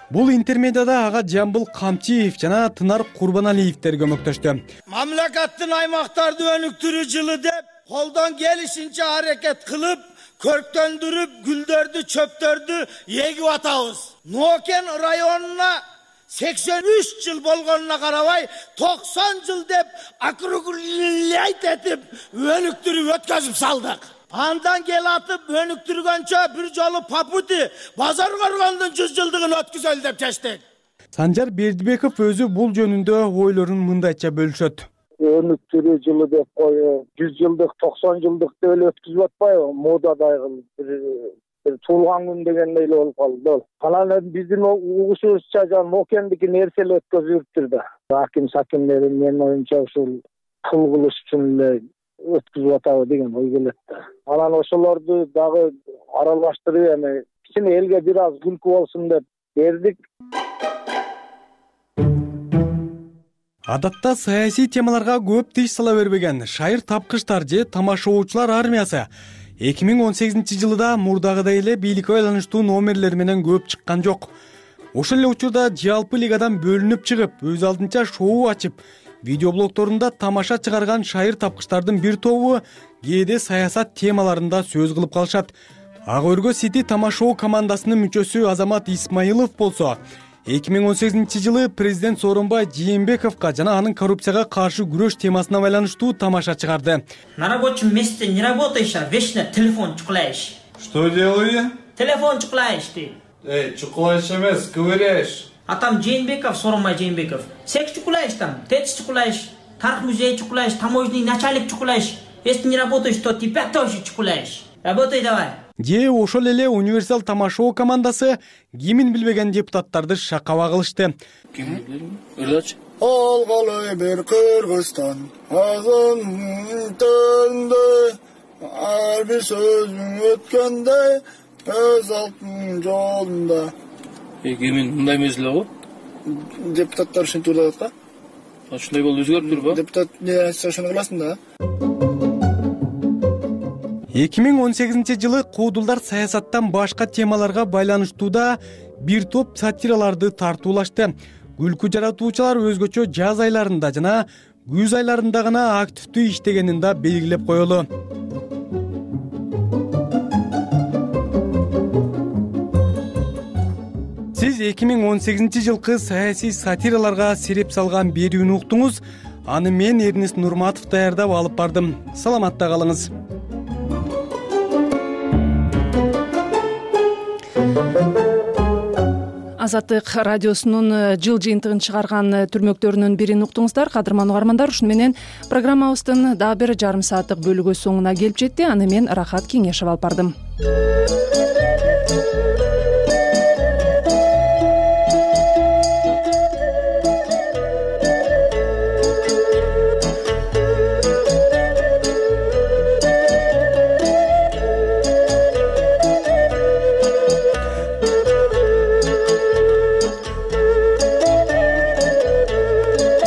Бул интермедияда ага Жамбыл Камчиев жана Тынар Курбаналиевдер көмөктөштү. Мамлекеттин аймактарды өнүктүрүү жылы деп колдон келишинче аракет кылып, көрктөндүрүп, гүлдөрдү, чөптөрдү эгип атабыз. Нокен районуна сексен үч жыл болгонуна карабай, токсон жыл деп округлять этип, өнүктүрүп өткөзүп салдык. Андан кел атып өнүктүргөнчө бир жолу Папути базар коргондун жүз жылдыгын өткөзөлү деп чечтик. Санжар Бердибеков өзү бул жөнүндө ойлорун мындайча бөлүшөт. Өнүктүрүү жылы деп коюп, жүз жылдык, токсон жылдык деп эле өткөзүп атпайбы? Модадагы бир туулган күн дегендей эле болуп калды. Анан биздин угушубузча жана Нокендики нерселер өткөзүптүр да. Аким сакимдери менин оюмча ушул кыл кылыш үчүн эле өткөзүп атабы деген ой келет да. Анан ошолорду дагы аралаштырып, эми кичине элге бир аз күлкү болсун деп бердик. Адатта саясий темаларга көп тиш сала бербеген шайыр тапкычтар же тамашоочулар армиясы эки миң он сегизинчи жылда мурдагыдай эле бийликке байланыштуу номерлер менен көп чыккан жок. Ошол эле учурда жалпы лигадан бөлүнүп чыгып, өз алдынча шоу ачып, видеоблогторунда тамаша чыгарган шайыр тапкычтардын бир тобу кээде саясат темаларында сөз кылып калышат. Ак өргө Сити тамашоо командасынын мүчөсү Азамат Исмаилов болсо, эки миң он сегизинчи жылы президент Сооронбай Жээнбековго жана анын коррупцияга каршы күрөш темасына байланыштуу тамаша чыгарды. На рабочем месте не работаешь, а вечно телефон чукляешь. Что делаю? Телефон чукляешь ты. Эй, чукляешь эмес, ковыряешь. А там Жээнбеков, Сооронбай Жээнбеков. Секс чукляешь там, ТЭЦ чукляешь, Тарых музей чукляешь, таможенный начальник чукляешь. Если не работаешь, то тебя тоже чукляешь. Работай давай. Же ошол эле универсал тамашоо командасы кимин билбеген депутаттарды шакаба кылышты. Ким? Ырлачы. Алгалы бир Кыргызстан, азын төндөй, ар бир сөзүң өткөндөй, өз алтын жолунда. Кимин мындай эмес эле го? Депутаттар ушинтип атат да. Ушундай болуп өзгөрүптүр ба? Депутат не айтса ошону кыласың да. эки миң он сегизинчи жылы куудулдар саясаттан башка темаларга байланыштууда бир топ сатираларды тартуулашты. Күлкү жаратуучулар өзгөчө жаз айларында жана күз айларында гана активдүү иштегенин да белгилеп коелу. Сиз эки миң он сегизинчи жылкы саясий сатираларга сереп салган берүүнү уктуңуз. Аны мен Эрнест Нурматов даярдап алып бардым. Саламатта калыңыз. Азаттык радиосунун жыл жыйынтыгын чыгарган түрмөктөрүнүн бирин уктуңуздар. Кадырман угармандар, ушуну менен программабыздын дагы бир жарым сааттык бөлүгү соңуна келип жетти. Аны мен Рахат Кеңешов алып бардым.